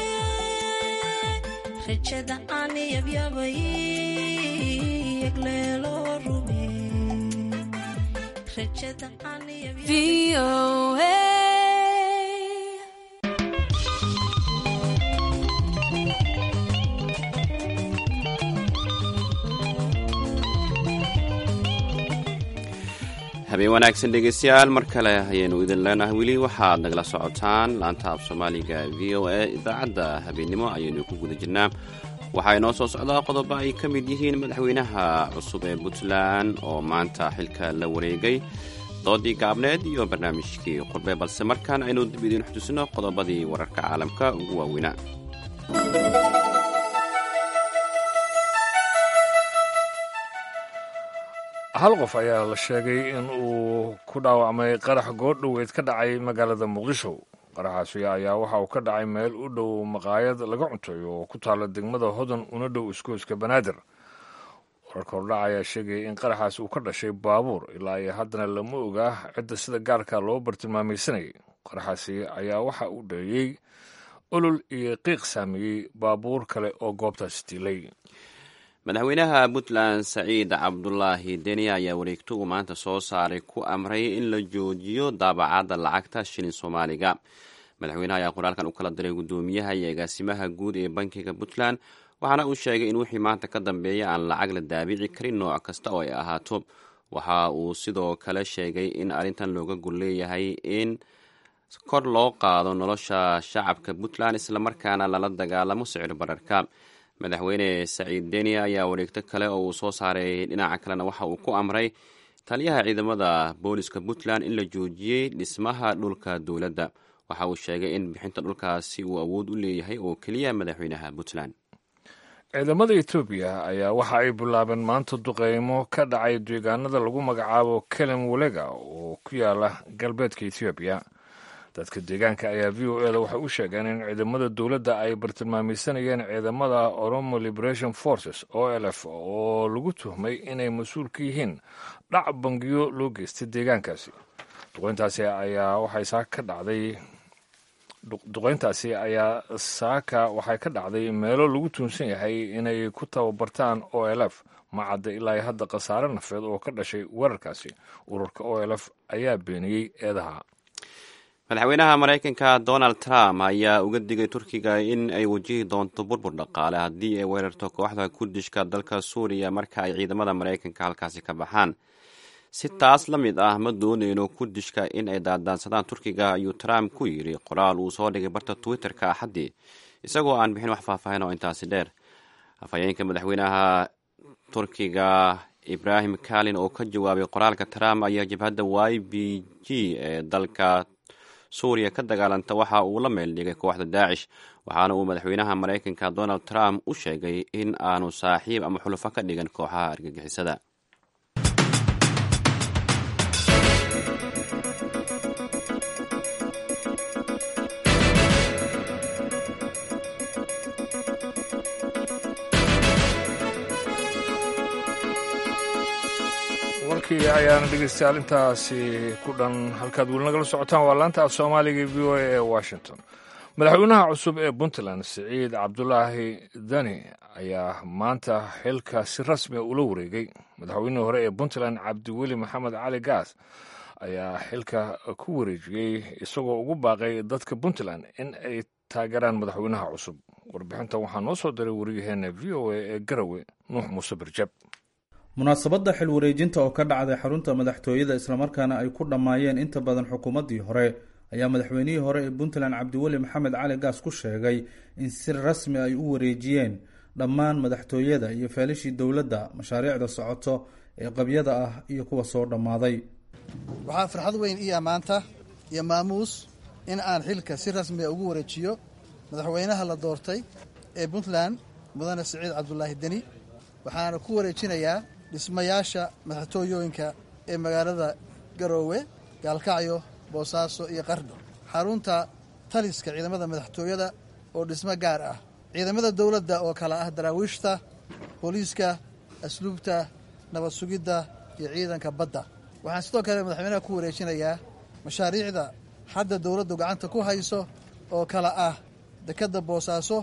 rajada aan yabyabay yagleelo rume, rajada aan yabyabay. Habeen wanaagsan dhegeystayaal, mar kale ayaynu idin leenahay. Weli waxaad nagala socotaan laanta af Soomaaliga VOA. Idaacadda habeennimo ayaynu ku guda jirnaa. Waxaa inoo soo socdaa qodobo ay ka mid yihiin madaxweynaha cusub ee Puntland oo maanta xilka la wareegay, doodii gaabneed iyo barnaamijkii qurbe, balse markaan aynu dib idiin xutusino qodobadii wararka caalamka ugu waaweynaa. Hal qof ayaa la sheegay in uu ku dhaawacmay qarax goordhoweyd ka dhacay magaalada Muqdisho. Qaraxaasi ayaa waxa uu ka dhacay meel u dhow maqaayad laga cunteeyo oo ku taalla degmada Hodan, una dhow iskooyska Banaadir. Wararka hordhaca ayaa sheegaya in qaraxaasi uu ka dhashay baabuur. Ilaa iyo haddana lama ogaa cidda sida gaarka loo bartilmaamaysanayay. Qaraxaasi ayaa waxa uu dheeyey olol iyo qiiq saameeyey baabuur kale oo goobtaasi tiilay. Madaxweynaha Puntland Saciid Cabdulaahi Deni ayaa wareegto uu maanta soo saaray ku amray in la joojiyo daabacadda lacagta shilin Soomaaliga. Madaxweynaha ayaa qoraalkan u kala diray guddoomiyaha iyo agaasimaha guud ee bankiga Puntland, waxaana uu sheegay in wixii maanta ka dambeeya aan lacag la daabici karin nooc kasta oo ay ahaato. Waxa uu sidoo kale sheegay in arrintan looga gol leeyahay in kor loo qaado nolosha shacabka Puntland, islamarkaana lala dagaalamo sicir bararka. Madaxweyne Saciid Deni ayaa wareegto kale oo uu soo saaray dhinaca kalena waxa uu ku amray taliyaha ciidamada booliska Puntland in la joojiyey dhismaha dhulka dowladda. Waxa uu sheegay in bixinta dhulkaasi uu awood u leeyahay oo keliya madaxweynaha Puntland. Ciidamada Etoobiya ayaa waxa ay bilaabeen maanta duqeymo ka dhacay deegaanada lagu magacaabo Kelem Welega oo ku yaala galbeedka Etoobiya. Dadka deegaanka ayaa VOA da waxay u sheegeen in ciidamada dowladda ay bartilmaamaysanayeen ciidamada Oromo Liberation Forces, OLF, oo lagu tuhmay inay mas-uul ka yihiin dhac bangiyo loo geystay deegaankaasi. Duqeyntaasi ayaa waxay saaka ka dhacday Duqeyntaasi ayaa saaka waxay ka dhacday meelo lagu tuunsan yahay inay ku tababartaan OLF. Ma cadda ilaa hadda khasaare nafeed oo ka dhashay weerarkaasi. Ururka OLF ayaa beeniyey eedaha. Madaxweynaha Maraykanka Donald Trump ayaa uga digay Turkiga in ay wajihi doonto burbur dhaqaale haddii ay weerarto kooxda Kurdishka dalka Suuriya marka ay ciidamada Maraykanka halkaasi ka baxaan. Si taas la mid ah ma dooneyno Kurdishka in ay daadaansadaan Turkiga, ayuu Trump ku yidhi qoraal uu soo dhigay barta Twitter-ka Axaddii, isagoo aan bixin wax faahfaahin oo intaasi dheer. Afhayeenka madaxweynaha Turkiga Ibrahim Kalin oo ka jawaabay qoraalka Trump ayaa jabhadda YPG ee dalka Suuriya ka dagaalanta waxa uu la meel dhigay kooxda Daacish, waxaana uu madaxweynaha Maraykanka Donald Trump u sheegay in aanu saaxiib ama xulufo ka dhigan kooxaha argagixisada. Warkii ayaana dhegeystayaal intaasi ku dhan. Halkaad weli nagala socotaan waa laanta af Soomaaliga VOA ee Washington. Madaxweynaha cusub ee Puntland Siciid Cabdulaahi Dani ayaa maanta xilka si rasmiga ula wareegay. Madaxweynihii hore ee Puntland Cabdiweli Maxamed Cali Gaas ayaa xilka ku wareejiyey, isagoo ugu baaqay dadka Puntland in ay taageeraan madaxweynaha cusub. Warbixintan waxaa noo soo diray wariyaheena VOA ee Garowe, Nuux Muuse Birjab. Munaasabadda xil wareejinta oo ka dhacday xarunta madaxtooyada, islamarkaana ay ku dhammaayeen inta badan xukuumaddii hore, ayaa madaxweynihii hore ee Puntland Cabdiweli Maxamed Cali Gaas ku sheegay in si rasmi ay u wareejiyeen dhammaan madaxtooyada iyo feelishii dowladda, mashaariicda socoto ee qabyada ah iyo kuwa soo dhammaaday. Waxaa farxad weyn ii ammaanta iyo maamuus in aan xilka si rasmiga ugu wareejiyo madaxweynaha la doortay ee Puntland, mudane Siciid Cabdulaahi Deni. Waxaana ku wareejinayaa dhismayaasha madaxtooyooyinka ee magaalada Garoowe, Gaalkacyo, Boosaaso iyo Qardho, xarunta taliska ciidamada madaxtooyada oo dhismo gaar ah, ciidamada dowladda oo kala ah daraawiishta, booliiska, asluubta, nabad sugidda iyo ciidanka badda. Waxaan sidoo kale madaxweynaha ku wareejinayaa mashaariicda hadda dowladdu gacanta ku hayso oo kala ah dekedda Boosaaso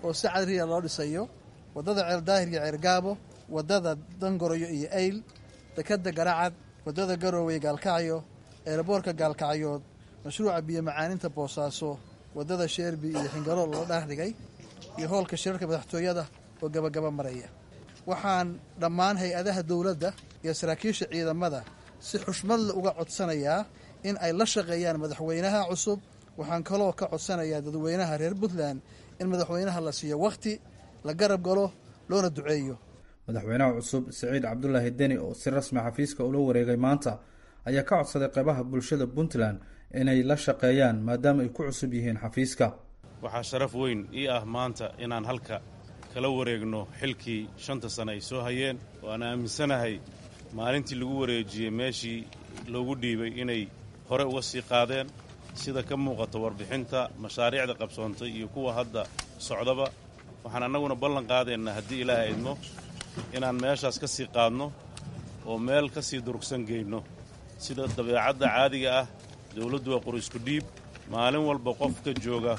oo si cadriya loo dhisayo, waddada Ceeldaahir iyo Ceergaabo, waddada Dangoroyo iyo Eyl, dekedda Garacad, waddada Garowe Gaalkacyo, eeraboorka Gaalkacyood, mashruuca biyo macaaninta Boosaaso, waddada Sheerbi iyo Xingalool loo dhaar dhigay, iyo hoolka shirarka madaxtooyada oo gabagaba maraya. Waxaan dhammaan hay-adaha dowladda iyo saraakiisha ciidamada si xushmadle uga codsanayaa in ay la shaqeeyaan madaxweynaha cusub. Waxaan kaloo ka codsanayaa dadweynaha reer Puntland in madaxweynaha la siiyo wakhti, la garab galo, loona duceeyo. Madaxweynaha cusub Siciid Cabdulaahi Deni oo si rasmi xafiiska ula wareegay maanta ayaa ka codsaday qeybaha bulshada Puntland inay la shaqeeyaan maadaama ay ku cusub yihiin xafiiska. Waxaa sharaf weyn ii ah maanta inaan halka kala wareegno xilkii 5ta sane ay soo hayeen, oo aan aaminsanahay maalintii lagu wareejiyey meeshii loogu dhiibay inay hore uga sii qaadeen, sida ka muuqata warbixinta mashaariicda qabsoontay iyo kuwa hadda socdaba. Waxaan annaguna ballan qaadaynaa haddii Ilaahay idmo inaan meeshaas ka sii qaadno oo meel ka sii durugsan geyno. Sida dabeecadda caadiga ah, dawladdu waa qori isku dhiib. Maalin walba qofka jooga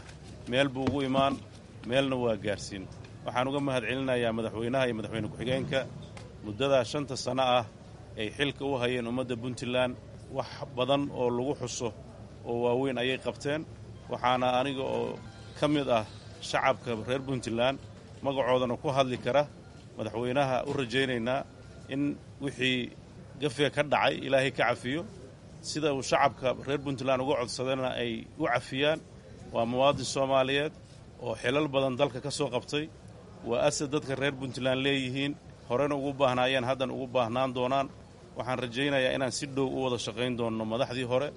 meel buu ugu imaan, meelna waa gaarsiin. Waxaan uga mahadcelinayaa madaxweynaha iyo madaxweyne ku-xigeenka muddadaa 5ta sanno ah ay xilka u hayeen ummadda Puntland. Wax badan oo lagu xuso oo waaweyn ayay qabteen. Waxaana aniga oo ka mid ah shacabka reer Puntland magacoodana ku hadli kara madaxweynaha u rajaynaynaa in wixii gafee ka dhacay Ilaahay ka cafiyo, sida uu shacabka reer Puntland uga codsadana ay u cafiyaan. Waa muwaadin Soomaaliyeed oo xilal badan dalka ka soo qabtay. Waa asad dadka reer Puntland leeyihiin, horena ugu baahnaayeen, haddana ugu baahnaan doonaan. Waxaan rajaynayaa inaan si dhow u wada shaqayn doonno madaxdii hore,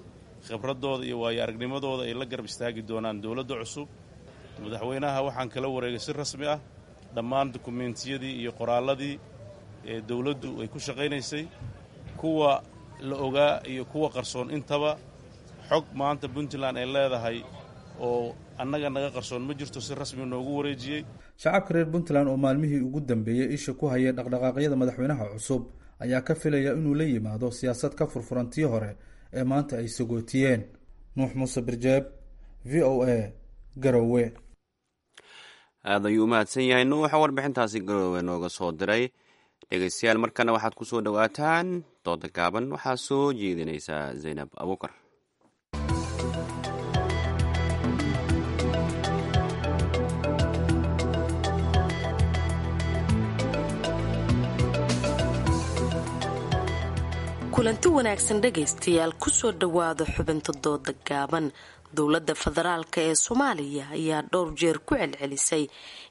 khibraddooda iyo waayo aragnimadooda ay la garab istaagi doonaan dowladda cusub. Madaxweynaha waxaan kala wareegay si rasmi ah dhammaan dukumeentiyadii iyo qoraalladii ee dowladdu ay ku shaqaynaysay, kuwa la ogaa iyo kuwa qarsoon intaba. Xog maanta Puntland ay leedahay oo annaga naga qarsoon ma jirto, si rasmi noogu wareejiyey. Shacabka reer Puntland oo maalmihii ugu dambeeyey isha ku hayay dhaqdhaqaaqyada madaxweynaha cusub ayaa ka filaya inuu la yimaado siyaasad ka furfuran tii hore ee maanta ay sagootiyeen. Nuux Muuse Birjeeb, VOA, Garowe. Aad ayuu u mahadsan yahay Nuuxa warbixintaasi Garoowe nooga soo diray. Dhegeystayaal, markana waxaad ku soo dhowaataan dooda gaaban. Waxaa soo jeedinaysaa Zaynab Abuukar. Kulanti wanaagsan dhegaystayaal, kusoo dhowaada xubinta dooda gaaban. Dowladda federaalka ee Soomaaliya ayaa dhowr jeer ku celcelisay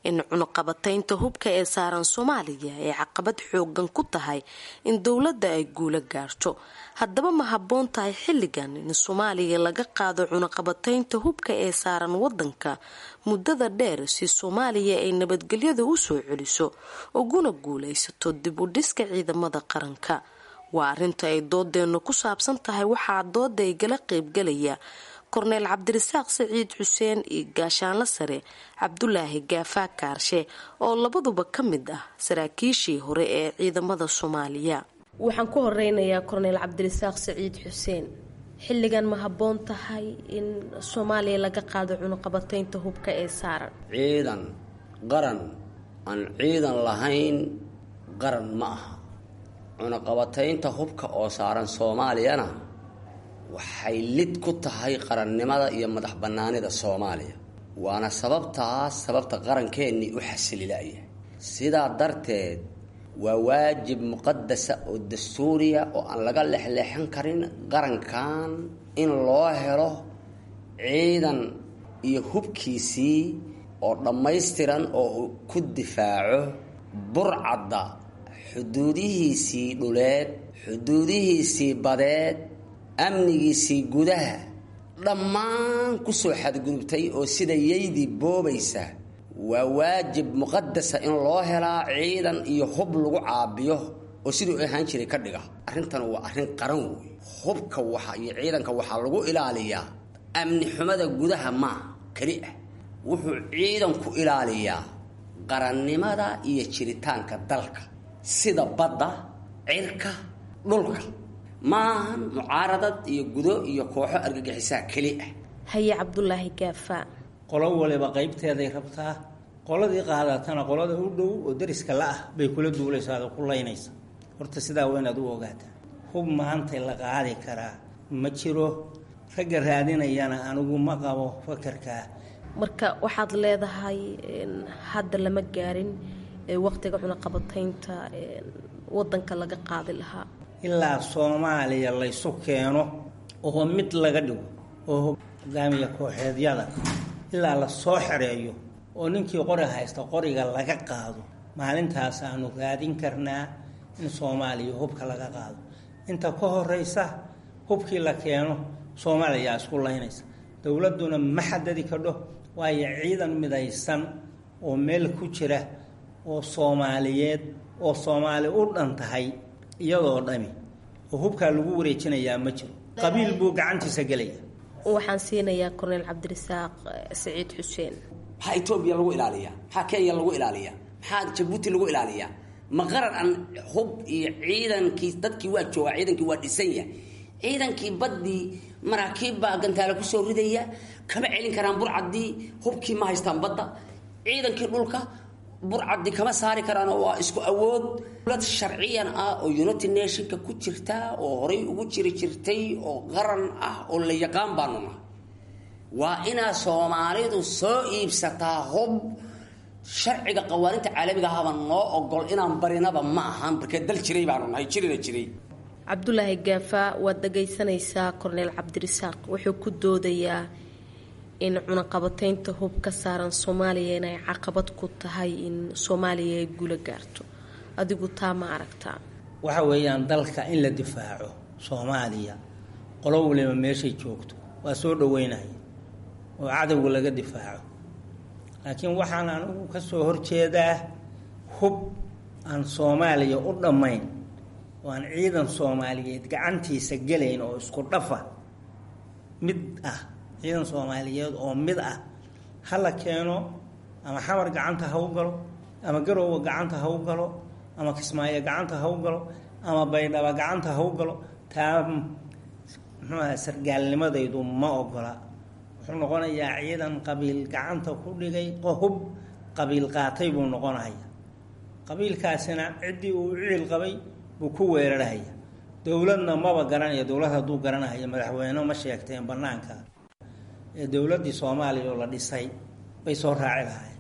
in cunuqabataynta hubka ee saaran Soomaaliya ay caqabad xoogan ku tahay in dowladda ay guulo gaarto. Haddaba ma habboon tahay xilligan in Soomaaliya laga qaado cunuqabataynta hubka ee saaran wadanka muddada dheer si Soomaaliya ay nabadgelyada u soo celiso uguna guulaysato dib u dhiska ciidamada qaranka? Waa arrinta ay doodeennu ku saabsan tahay. Waxaa dooda igala qeybgalaya Korneyl Cabdirasaaq Saciid Xuseen iyo Gaashaanla Sare Cabdulaahi Gaafaa Kaarshe oo labaduba ka mid ah saraakiishii hore ee ciidamada Soomaaliya. Waxaan ku horeynayaa Korneyl Cabdirasaaq Saciid Xuseen. Xilligan ma habboon tahay in Soomaaliya laga qaado cunuqabataynta hubka ee saaran? Ciidan qaran aan ciidan lahayn qaran ma aha. Cunaqabataynta hubka oo saaran Soomaaliyana waxay lid ku tahay qarannimada iyo madax bannaanida Soomaaliya, waana sababtaas sababta qarankeenii u xasililaya. Sidaa darteed waa waajib muqadasa oo dastuuriya oo aan laga lexleexan karin qarankan in loo helo ciidan iyo hubkiisii oo dhammaystiran oo uu ku difaaco burcadda xuduudihiisii dhuleed, xuduudihiisii badeed, amnigiisii gudaha dhammaan kusoo xadgudubtay oo sida yaydii boobaysa. Waa waajib muqadasa in loo helaa ciidan iyo hub lagu caabiyo oo siduu ahaan jiray ka dhiga. Arrintan waa arrin qaran wey. Hubka waxa iyo ciidanka waxaa lagu ilaaliyaa amni xumada gudaha maa keli ah. Wuxuu ciidanku ilaaliyaa qarannimada iyo jiritaanka dalka, sida badda, cirka, dhulka. Maahan mucaaradad iyo gudo iyo kooxo argagixisaa keli ah. Haye Cabdulaahi Gaafa. Qolo waliba qaybteeday rabtaa. Qoladii qaadatana qolada u dhow oo dariska la-ah bay kula duulaysaa oo ku laynaysa. Horta sidaa waa inaad u ogaataa, hub maanta la qaadi karaa ma jiro. Ragga raadinayana anigu ma qabo fakarkaa. Marka waxaad leedahay hadda lama gaarin waqtiga cunaqabataynta wadanka laga qaadi lahaa? Ilaa Soomaaliya laysu keeno oo mid laga dhigo oo hogaamiya kooxeedyada ilaa la soo xereeyo oo ninkii qori haysta qoriga laga qaado, maalintaas aanu raadin karnaa in Soomaaliya hubka laga qaado. Inta ka horeysa hubkii la keeno Soomaaliya isku laynaysa, dowladduna ma xadadi kadho, waayo ciidan midaysan oo meel ku jira oo Soomaaliyeed oo Soomaali u dhan tahay iyadoo dhami oo hubkaa lagu wareejinayaa ma jiro, qabiil buu gacantiisa gelaya. Waxaan siinayaa Korneyl Cabdirasaaq Saciid Xuseen. Maxaa Etoobiya lagu ilaaliyaa? Maxaa Kenya lagu ilaaliyaa? Maxaa Jabuuti lagu ilaaliyaa? Ma qaran aan hub iyo ciidankii dadkii waa joogaa, ciidankii waa dhisan yahay, ciidankii baddii maraakiib baa gantaale kusoo ridaya, kama celin karaan burcaddii, hubkii ma haystaan badda, ciidankii dhulka burcaddi kama saari karaan oo waa isku awood. Dowlad sharciyan ah oo United Nationka ku jirta oo horay ugu jiri jirtay oo qaran ah oo la yaqaan baanu nahay. Waa inaa Soomaalidu soo iibsataa hub. Sharciga qawaaninta caalamiga ahaba noo ogol inaan barinaba ma ahan, markee dal jiray baanu nahay, jirina jiray. Cabdulaahi Gaafa, waad dhagaysanaysaa Korneyl Cabdirasaaq wuxuu ku doodayaa in cunaqabataynta hub ka saaran Soomaaliya inay caqabad ku tahay in Soomaaliya ay guula gaarto. Adigu taa ma aragtaa? Waxa weeyaan dalka in la difaaco Soomaaliya, qolo waliba meeshay joogto waa soo dhaweynaya oo cadowga laga difaaco, laakiin waxaan anigu ka soo horjeedaa hub aan Soomaaliya u dhammayn oo aan ciidan Soomaaliyeed gacantiisa gelayn oo isku dhafa mid ah. Ciidan Soomaaliyeed oo mid ah ha la keeno, ama Xamar gacanta ha u galo, ama Garoowe gacanta ha u galo, ama Kismaayo gacanta ha u galo, ama Baydhaba gacanta ha u galo. Taa muxuu aha, sargaalnimadaydu ma ogola. Wuxuu noqonayaa ciidan qabiil gacanta ku dhigay, hub qabiil qaatay buu noqonaya. Qabiilkaasina ciddii uu ciil qabay buu ku weerarhaya. Dowladna maba garanaya. Dowlad hadduu garanahaya madaxweyne ma sheegteen banaanka ee dowladdii Soomaaliya oo la dhisay bay soo raaci lahaayeen,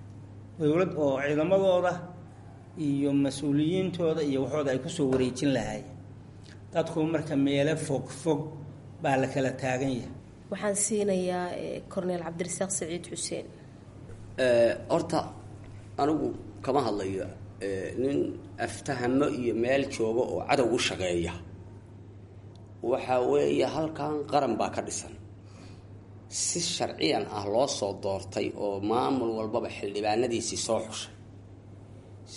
dowlad oo ciidamadooda iyo mas-uuliyiintooda iyo waxooda ay kusoo wareejin lahaayeen. Dadku marka meelo fog fog baa la kala taagan yahay. Waxaan siinayaa Korneyl Cabdirasaaq Saciid Xuseen. Horta anigu kama hadlayo nin aftahamo iyo meel jooga oo cadow u shaqeeya. Waxaa weeye halkan qaran baa ka dhisan, si sharciyan ah loo soo doortay oo maamul walbaba xildhibaanadiisii soo xushay.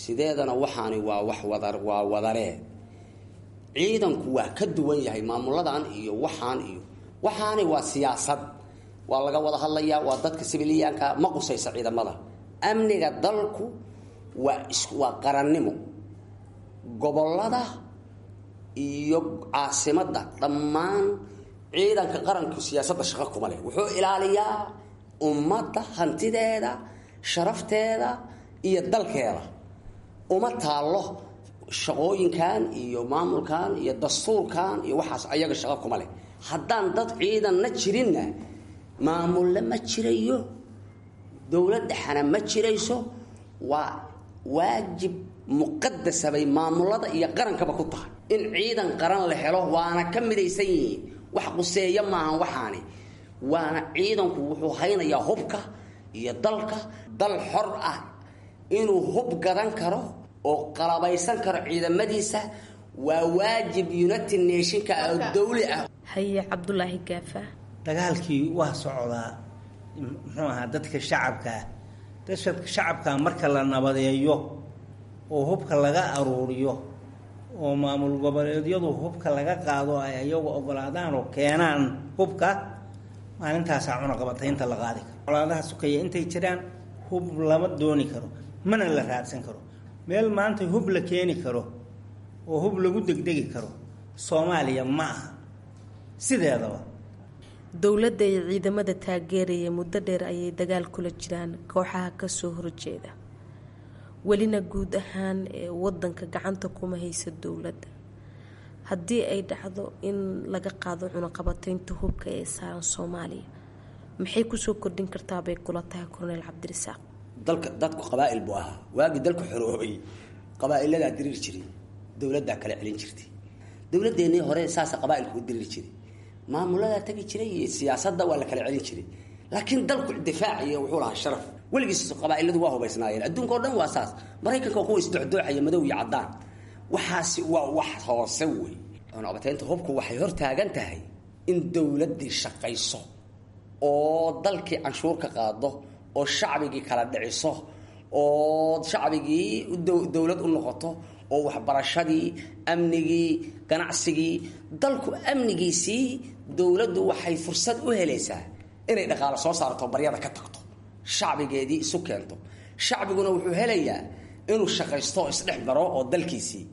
Sideedana waxaani waa wax wadar, waa wadaree. Ciidanku waa ka duwan yahay maamuladan iyo waxaan iyo waxaani waa siyaasad, waa laga wada hadlayaa, waa dadka sibiliyaanka, ma qusaysa ciidamada. Amniga dalku waa qarannimo. Gobollada iyo caasimadda dhammaan ciidanka qaranku siyaasadda shaqo kuma leh. Wuxuu ilaaliyaa ummadda hantideeda, sharafteeda iyo dalkeeda. Uma taallo shaqooyinkan iyo maamulkan iyo dastuurkan iyo waxaas, ayaga shaqo kuma leh. Haddaan dad ciidanna jirinna maamulle ma jirayo, dowlad dhexana ma jirayso. Waa waajib muqadasa bay maamulada iyo qarankaba ku tahay in ciidan qaran la helo, waana ka midaysan yihiin. Wax quseeya maahan waxaani, waana ciidanku wuxuu haynayaa hubka iyo dalka. Dal xor ah inuu hub gadan karo oo qalabaysan karo ciidamadiisa waa waajib United Nationka oo dawli ah. Haye Cabdulaahi Gaafa. Dagaalkii waa socdaa, muxuu ahaa, dadka shacabkaa, dadka shacabkaa marka la nabadeeyo oo hubka laga aruuriyo oo maamul goboleedyadu hubka laga qaado, ay ayagu ogolaadaan oo keenaan hubka, maalintaasaa cunaqabataynta la qaadi karo. Colaadaha sukeeya intay jiraan hub lama dooni karo, mana la raadsan karo. Meel maanta hub la keeni karo oo hub lagu degdegi karo Soomaaliya ma aha sideedaba. Dowladda iyo ciidamada taageeraya muddo dheer ayay dagaal kula jiraan kooxaha kasoo horjeeda, welina guud ahaan wadanka gacanta kuma haysa dowladda. Haddii ay dhacdo in laga qaado cunaqabataynta hubka ee saaran Soomaaliya, maxay kusoo kordhin kartaa bay kula tahay Korneyl Cabdirasaaq? Dalka dadku qabaa'il buu ahaa waagii dalku xoroobay. Qabaa'iladaa diriir jiray, dowladdaa kala celin jirtay. Dowladeennii hore saasa qabaailku u diriri jiray, maamuladaa tagi jiray iyo siyaasadda waa la kala celin jiray, laakiin dalku difaac iyo wuxuu lahaa sharaf. Weligiis qabaailadu waa hubaysnaayeen, adduunka oo dhan waa saas. Maraykanka waa kuwa isdocdooxaya, madow iyo caddaan. Waxaasi waa wax hoose wey. Cunaqabataynta hubku waxay hor taagan tahay in dowladdii shaqayso oo dalkii canshuur ka qaado oo shacbigii kala dhiciso oo shacbigii dowlad u noqoto oo waxbarashadii, amnigii, ganacsigii, dalku amnigiisii. Dowladdu waxay fursad u helaysaa inay dhaqaalo soo saarto, baryada ka tagto, shacbigeedii isu keento. Shacbiguna wuxuu helayaa inuu shaqaysto oo isdhex maro oo dalkiisii.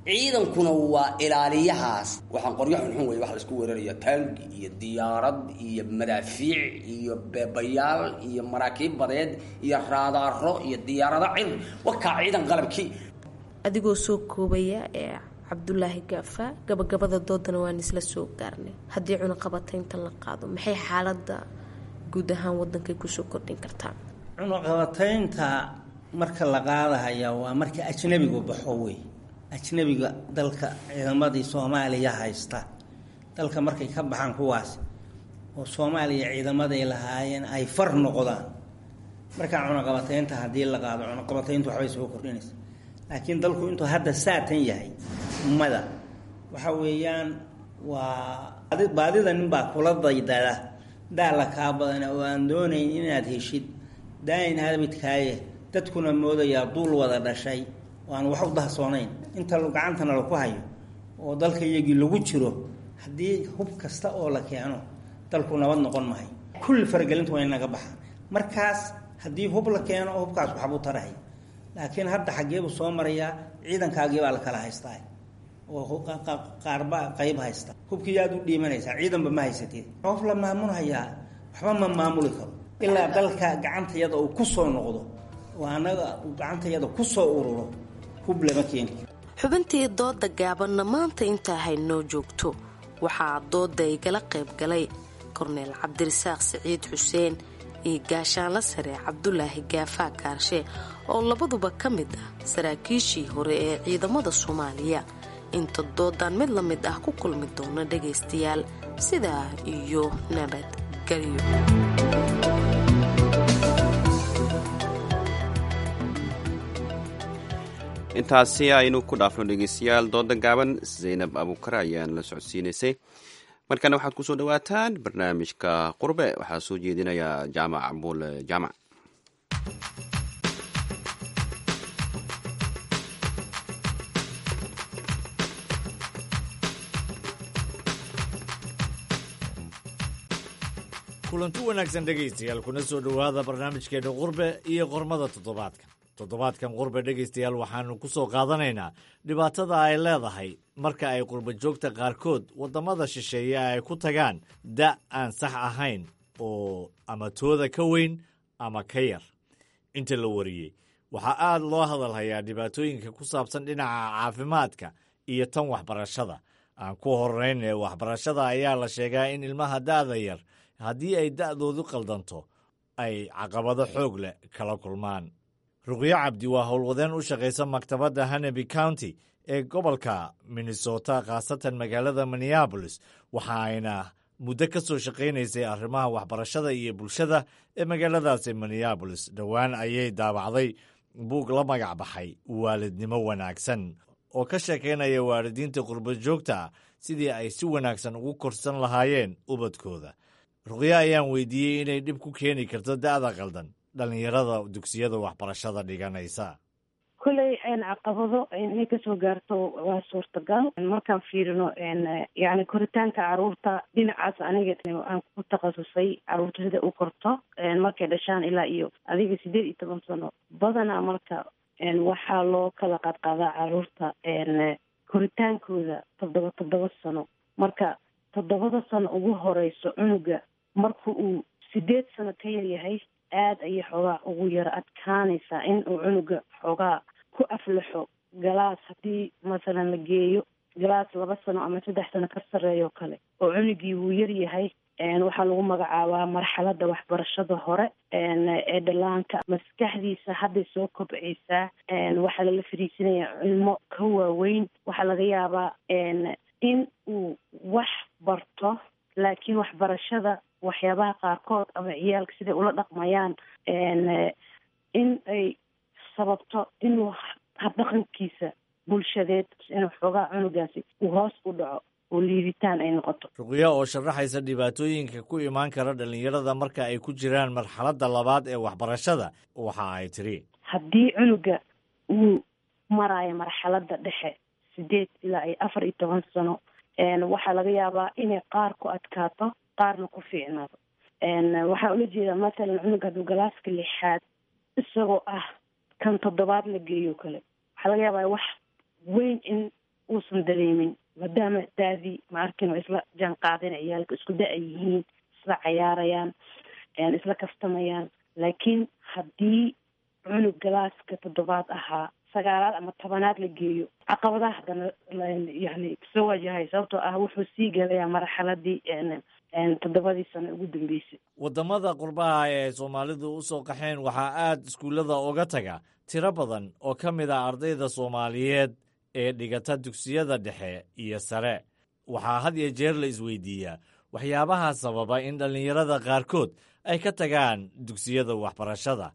Ciidankuna waa ilaaliyahaas. Waxaan qoryo xunxun wey waxa la isku weeraraya, taangi iyo diyaarad iyo madaafiic iyo beebayaal iyo maraakiib badeed iyo raadaaro iyo diyaarado cir wakaa ciidan qalabkii. Adigoo soo koobaya ee Cabdulaahi Gaafa, gabagabada doodana waan isla soo gaarnay. Haddii cunaqabataynta la qaado, maxay xaaladda guud ahaan wadankay kusoo kordhin kartaa? Cunaqabataynta marka la qaadahaya waa marka ajnabigu baxo wey. Ajnabiga dalka ciidamadii Soomaaliya haysta dalka markay ka baxaan kuwaas oo Soomaaliya ciidamaday lahaayeen ay far noqdaan, markaa cunaqabataynta haddii la qaado, cunaqabatayntu waxbay soo kordhinaysa. Laakiin dalku intuu hadda saatan yahay mada waxa weeyaan waa baadida ninbaa kula daydada daala kaa badan oo aan doonayn inaad heshid daayin habidkaaye, dadkuna moodayaa duul wada dhashay oo aan wax u dahsoonayn. Inta gacantana laku hayo oo dalka iyagii lagu jiro, haddii hub kasta oo la keeno dalku nabad noqon mahay. Kulli faragelintu waa inaga baxaan. Markaas haddii hub la keeno, hubkaas waxbuu tarahay, laakiin hadda xaggeebuu soo marayaa? Ciidankaagii baa la kala haystaa oo qaarba qayb haysta. Hubkii aad u dhiimanaysaa, ciidanba ma haysatid. Qof la maamulhayaa waxba ma maamuli karo ilaa dalka gacantayada uu ku soo noqdo oo annaga uu gacantayada ku soo ururo. Hub lama keeni karo. Xubintii dooda gaabanna maanta intaa haynoo joogto. Waxaa dooda igala qayb galay Korneel Cabdirasaaq Siciid Xuseen iyo Gaashaanla Sare Cabdulaahi Gaafaa Kaarshe oo labaduba ka mid ah saraakiishii hore ee ciidamada Soomaaliya. Inta doodan mid la mid ah ku kulmi doona dhagaystayaal, sidaa iyo nabadgelyo. Intaasi aynu ku dhaafno dhegeystayaal dooda gaaban, Zaynab Abuukar ayaan la socodsiinaysay. Markana waxaad kusoo dhawaataan barnaamijka Qurbe, waxaa soo jeedinaya Jaamac Cabuule Jaamac. Kulanti wanaagsan dhegaystayaal, kuna soo dhowaada barnaamijkeena Qurbe iyo qormada toddobaadkan. Toddobaadkan Qurbe dhegaystayaal waxaanu ku soo qaadanaynaa dhibaatada ay leedahay marka ay qurba joogta qaarkood waddamada shisheeye ay ku tagaan da' aan sax ahayn oo ama tooda ka weyn ama ka yar. Inta la wariyey waxaa aad loo hadalhayaa dhibaatooyinka ku saabsan dhinaca caafimaadka iyo tan waxbarashada. Aan ku horrayne waxbarashada ayaa la sheegaa in ilmaha da'da yar haddii ay da'doodu qaldanto ay caqabado xoog leh kala kulmaan. Ruqyo Cabdi waa howlwadeen u shaqaysa maktabadda Hennepin County ee gobolka Minnesota, khaasatan magaalada Minneapolis, waxa ayna muddo ka soo shaqaynaysay arrimaha waxbarashada iyo bulshada ee magaaladaasi Minneapolis. Dhowaan ayay daabacday buug la magac baxay Waalidnimo Wanaagsan oo ka sheekaynaya waalidiinta qurba joogta ah sidii ay si wanaagsan ugu korsan lahaayeen ubadkooda. Ruqyo ayaan weydiiyey inay dhib ku keeni karto da'da qaldan dhallinyarada dugsiyada waxbarashada dhiganaysa. Kolley caqabado inay kasoo gaarto waa suurtagal. Markaan fiirino yani koritaanka caruurta dhinacaas, aniga aan ku takhasusay caruurta sida u korto markay dhashaan ilaa iyo adiga 18 sano badanaa. Marka waxaa loo kala qaadqaadaa caruurta koritaankooda 7 7 sano. Marka 7da sano ugu horeyso cunuga marka uu 8 sano ka yaryahay, aada ayay xoogaa ugu yaro adkaanaysaa in uu cunuga xoogaa ku aflaxo galaas. Haddii masalan la geeyo galaas 2 sano ama 3 sano ka sarreeyo kale oo cunugii wuu yaryahay, waxaa lagu magacaabaa marxaladda waxbarashada hore ee dhallaanka. Maskaxdiisa hadday soo kobcaysaa, waxaa lala fariisinayaa cilmo ka waaweyn. Waxaa laga yaabaa In uu wax barto, laakiin waxbarashada waxyaabaha qaarkood ama ciyaalka siday ula dhaqmayaan in ay sababto inuu habdhaqankiisa bulshadeed inuu xoogaa cunugaasi uu hoos u dhaco oo liiditaan ay noqoto. Ruqya oo sharaxaysa dhibaatooyinka ku imaan kara dhallinyarada marka ay ku jiraan marxaladda labaad ee waxbarashada, waxa ay tiri: Haddii cunuga uu maraayo marxaladda dhexe, 8 ilaa iyo 14 sano, waxaa laga yaabaa inay qaar ku adkaato, qaarna ku fiicnaato. Waxaa ula jeedaa, mathalan, cunuga hadduu galaaska lixaad isagoo ah kan toddobaad la geeyo kale, waxaa laga yaabaa wax weyn in uusan dareemin, maadaama daadii ma arkin oo isla jaan qaadeen, ciyaalka isku da- yihiin, isla cayaarayaan, isla kaftamayaan. Laakiin haddii cunug galaaska toddobaad ahaa sagaalaad ama 10aad la geeyo, caqabadaha haddana yani soo wajahay, sababtoo ah wuxuu sii gelayaa marxaladii 7dii sano ugu dambeysay. Waddamada qurbaha ee ay soomaalidu u soo qaxeen waxaa aad iskuullada uga taga tiro badan oo ka mid ah ardayda soomaaliyeed ee dhigata dugsiyada dhexe iyo sare. Waxaa had iyo jeer la isweydiiyaa waxyaabaha sababa in dhallinyarada qaarkood ay ka tagaan dugsiyada waxbarashada.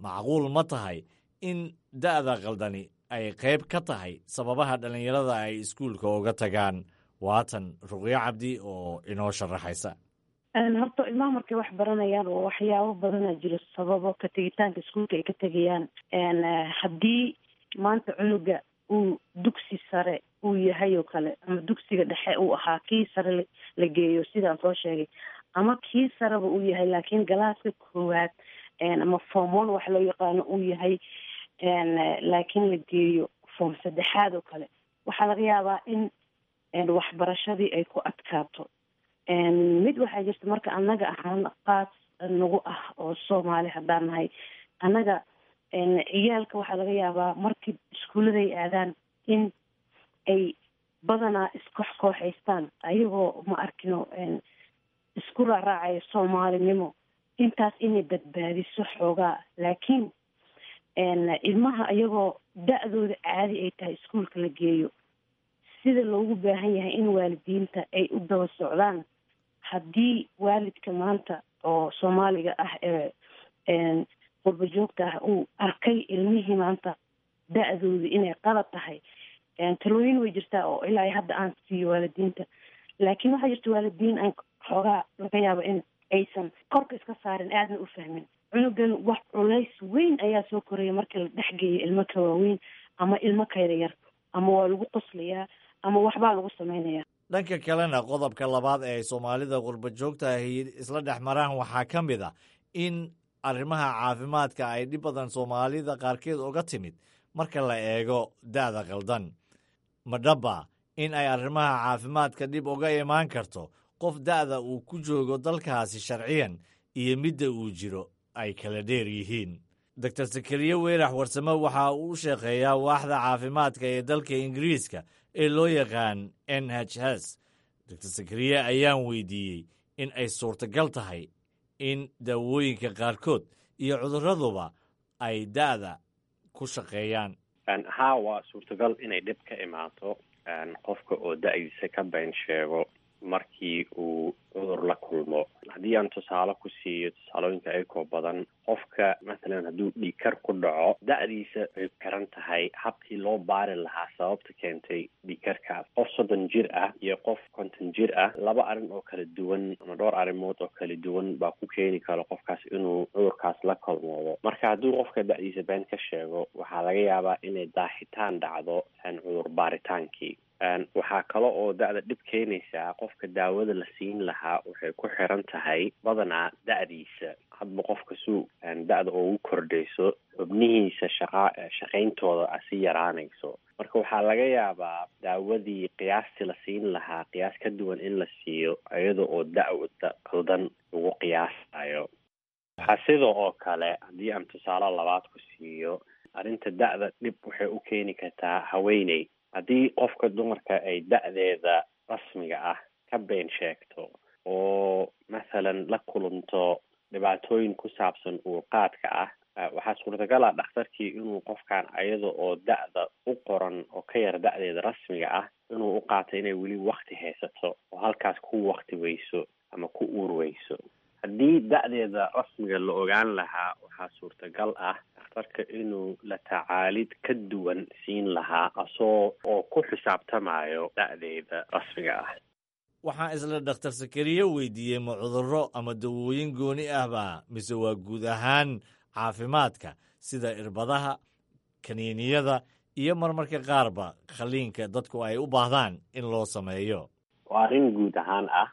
Macquul ma tahay in da'da qaldani ay qayb ka tahay sababaha dhallinyarada ay iskuulka uga tagaan? Waatan Ruqyo Cabdi oo inoo sharaxaysa. Horta ilmaha markay wax baranayaan oo waxyaabo badanaa jiro sababo ka tegitaanka iskuulka ay ka tegayaan. Haddii maanta cunuga uu dugsi sare uu yahay oo kale, ama dugsiga dhexe uu ahaa, kii sare la geeyo sidaan soo sheegay, ama kii sareba uu yahay laakiin galaaska koowaad ama form one wax loo yaqaano uu yahay, laakiin la geeyo form saddexaad oo kale, waxaa laga yaabaa in waxbarashadii ay ku adkaato. Mid waxaa jirta marka annaga ahaan qaas nagu ah oo Soomaali haddaan nahay, annaga ciyaalka waxaa laga yaabaa markii iskuulladay aadaan in ay badanaa iskoox kooxaystaan, ayagoo ma arkino isku raaraacayo soomaalinimo, intaas inay badbaadiso xoogaa. Laakiin ilmaha iyagoo da-dooda caadi ay tahay iskuulka la geeyo, sida loogu baahan yahay in waalidiinta ay u daba socdaan. Haddii waalidka maanta oo Soomaaliga ah ee qurba joogta ah uu arkay ilmihii maanta da-dooda inay qalad tahay, talooyin way jirtaa oo ilaa hadda aan siiyo waalidiinta. Laakiin waxaa jirta waalidiin aan xoogaa laga yaabo in aysan korka iska saarin, aadna u fahmin cunugan wax culays weyn ayaa soo koraya markii la dhexgeeyo ilmo ka waaweyn ama ilmo ka yaryar, ama waa lagu qoslayaa ama waxbaa lagu sameynaya. Dhanka kalena, qodobka labaad ee ay soomaalida qurba joogta ahi isla dhex maraan waxaa ka mid ah in arrimaha caafimaadka ay dhib badan soomaalida qaarkeed uga timid marka la eego da'da qaldan. Ma dhaba in ay arrimaha caafimaadka dhib uga imaan karto qof da'da uu ku joogo dalkaasi sharciyan iyo midda uu jiro ay kala dheer yihiin? Doctor Sakariye Weyrax Warsame waxa uu u shaqeeyaa waaxda caafimaadka ee dalka Ingiriiska ee loo yaqaan NHS. Doctor Sakariye ayaan weydiiyey in ay suurtagal tahay in daawooyinka qaarkood iyo cudurraduba ay da'da ku shaqeeyaan. Haa, waa suurtagal inay dhib ka imaato qofka oo da-diisa ka been sheego markii uu cudur la kulmo. Haddii aan tusaale ku siiyo tusaalooyinka ayakoo badan, qofka mathalan hadduu dhiigkar ku dhaco, da-diisa ay xiran tahay habkii loo baari lahaa sababta keentay dhiigkarkaas. Qof 30 jir ah iyo qof 50 jir ah, laba arrin oo kala duwan ama dhowr arrimood oo kala duwan baa ku keeni karo qofkaas inuu cudurkaas la kulmoodo. Marka hadduu qofka da-diisa been ka sheego, waxaa laga yaabaa inay daahitaan dhacdo cudur baaritaankii. Waxaa kale oo da-da dhib keenaysaa, qofka daawada la siin lahaa waxay ku xiran tahay badanaa da-diisa. Hadba qofka suu da-da ugu kordhayso, xubnihiisa shaqa shaqayntooda a si yaraanayso. Marka waxaa laga yaabaa daawadii qiyaastii la siin lahaa qiyaas ka duwan in la siiyo, iyada oo da-da qaldan lagu qiyaasayo. Waxaa sidoo oo kale, haddii aan tusaale labaad ku siiyo, arrinta da-da dhib waxay u keeni kartaa haweeney. Haddii qofka dumarka ay da-deeda rasmiga ah ka been sheegto oo mathalan la kulanto dhibaatooyin ku saabsan uurqaadka ah, Waxaa suurtagal ah dhakhtarkii inuu qofkan ayada oo da-da u qoran oo ka yar da-deeda rasmiga ah inuu u qaato inay weli wakti haysato oo halkaas ku wakti weyso ama ku uur weyso. Haddii da-deeda rasmiga la ogaan lahaa, waxaa suurtagal ah dhakhtarka inuu la tacaalid ka duwan siin lahaa asoo oo ku xisaabtamayo da-deeda rasmiga ah. Waxaan isla dhakhtar Sakariye weydiiyey, ma cudurro ama dawooyin gooni ahba mise waa guud ahaan caafimaadka sida irbadaha, kaniiniyada iyo marmarka qaarba khaliinka dadku ay u baahdaan in loo sameeyo? Waa arrin guud ahaan ah,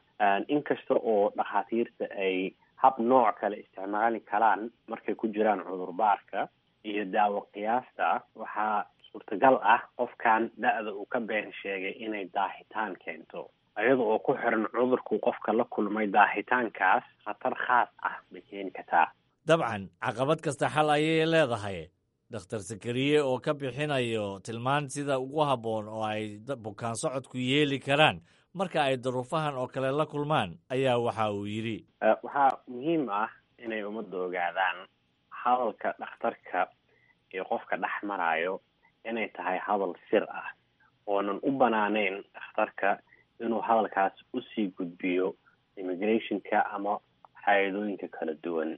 inkasta oo dhakhaatiirta ay hab nooc kale isticmaali karaan markay ku jiraan cudurbaarka iyo daawo qiyaasta. Waxaa suurtagal ah qofkan da-da uu ka been sheegay inay daahitaan keento, iyada oo ku xiran cudurkuu qofka la kulmay. Daahitaankaas khatar khaas ah bay keeni kartaa. Dabcan, caqabad kasta xal ayay leedahay. Dhakhtar Sakariye oo ka bixinayo tilmaan sida ugu habboon oo ay bukaan socodku yeeli karaan marka ay duruufahan oo kale la kulmaan ayaa waxa uu yidhi: Waxaa muhiim ah inay ummadda ogaadaan hadalka dhakhtarka iyo qofka dhex marayo inay tahay hadal sir ah oonan u banaaneyn dhakhtarka inuu hadalkaas usii gudbiyo immigrationka ama hay-adooyinka kala duwan.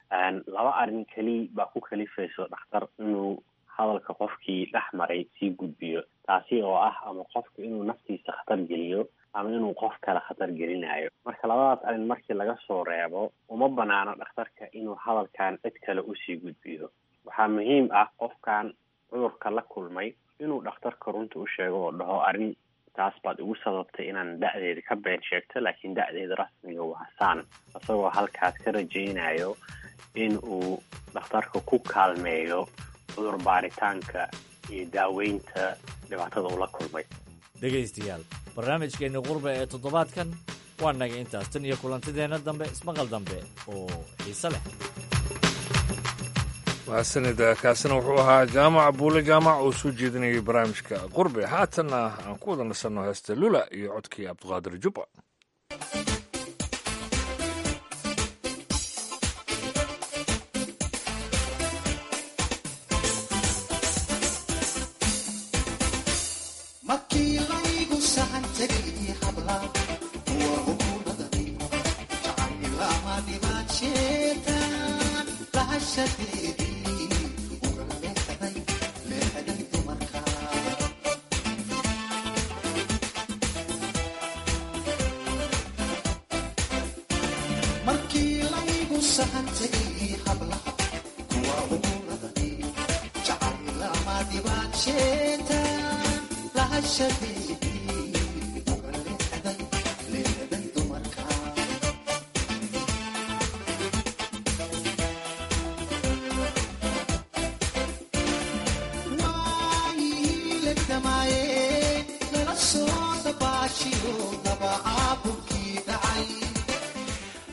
Laba arrin keli baa ku kalifayso dhakhtar inuu hadalka qofkii dhex maray sii gudbiyo, taasi oo ah ama qofka inuu naftiisa khatar geliyo ama inuu qof kale khatar gelinayo. Marka labadaas arrin markii laga soo reebo, uma banaano dhakhtarka inuu hadalkan cid kale usii gudbiyo. Waxaa muhiim ah qofkan cudurka la kulmay inuu dhakhtarka runta u sheego oo dhaho, arrin taas baad igu sababtay inaan da-deeda ka been sheegto, laakiin da-deeda rasmiga waa saan, isagoo halkaas ka rajaynayo in uu dhakhtarka ku kaalmeeyo cudur baaritaanka iyo daaweynta dhibaatada uu la kulmay. Dhegaystayaal, barnaamijkeenni qurba ee toddobaadkan waa naga intaas. Tan iyo kulantideenna dambe, ismaqal dambe oo xiise leh. Mahadsanida. Kaasina wuxuu ahaa Jaamac Buule Jaamac oo soo jeedinayay barnaamijka Qurbe. Haatanna aan ku wada nasanno heesta Lula iyo codkii Cabdiqaadir Jubba.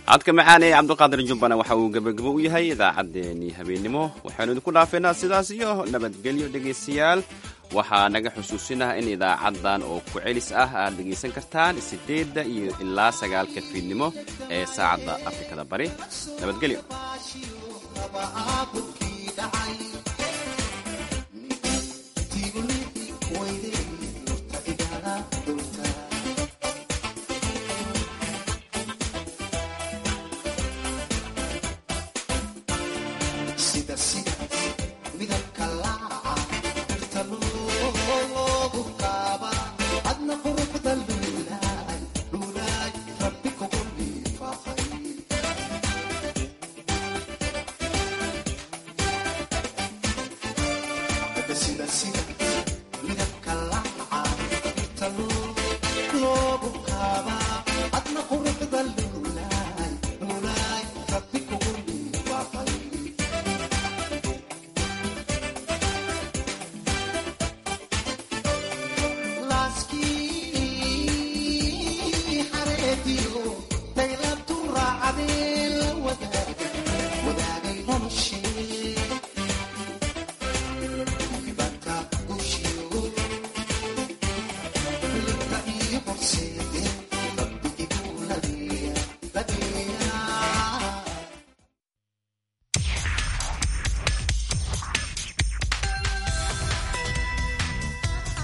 Codka macaan ee Cabdiqaadir Jubbana waxa uu gebagabo u yahay idaacaddeenii habeennimo. Waxaynu idinku dhaafeynaa sidaas iyo nabadgelyo, dhegaystayaal. Waxaa naga xusuusinaha in idaacaddan oo ku celis ah aad dhegaysan kartaan 8 iyo ilaa 9 fiidnimo ee saacadda Afrikada Bari. Nabadgelyo. Adna.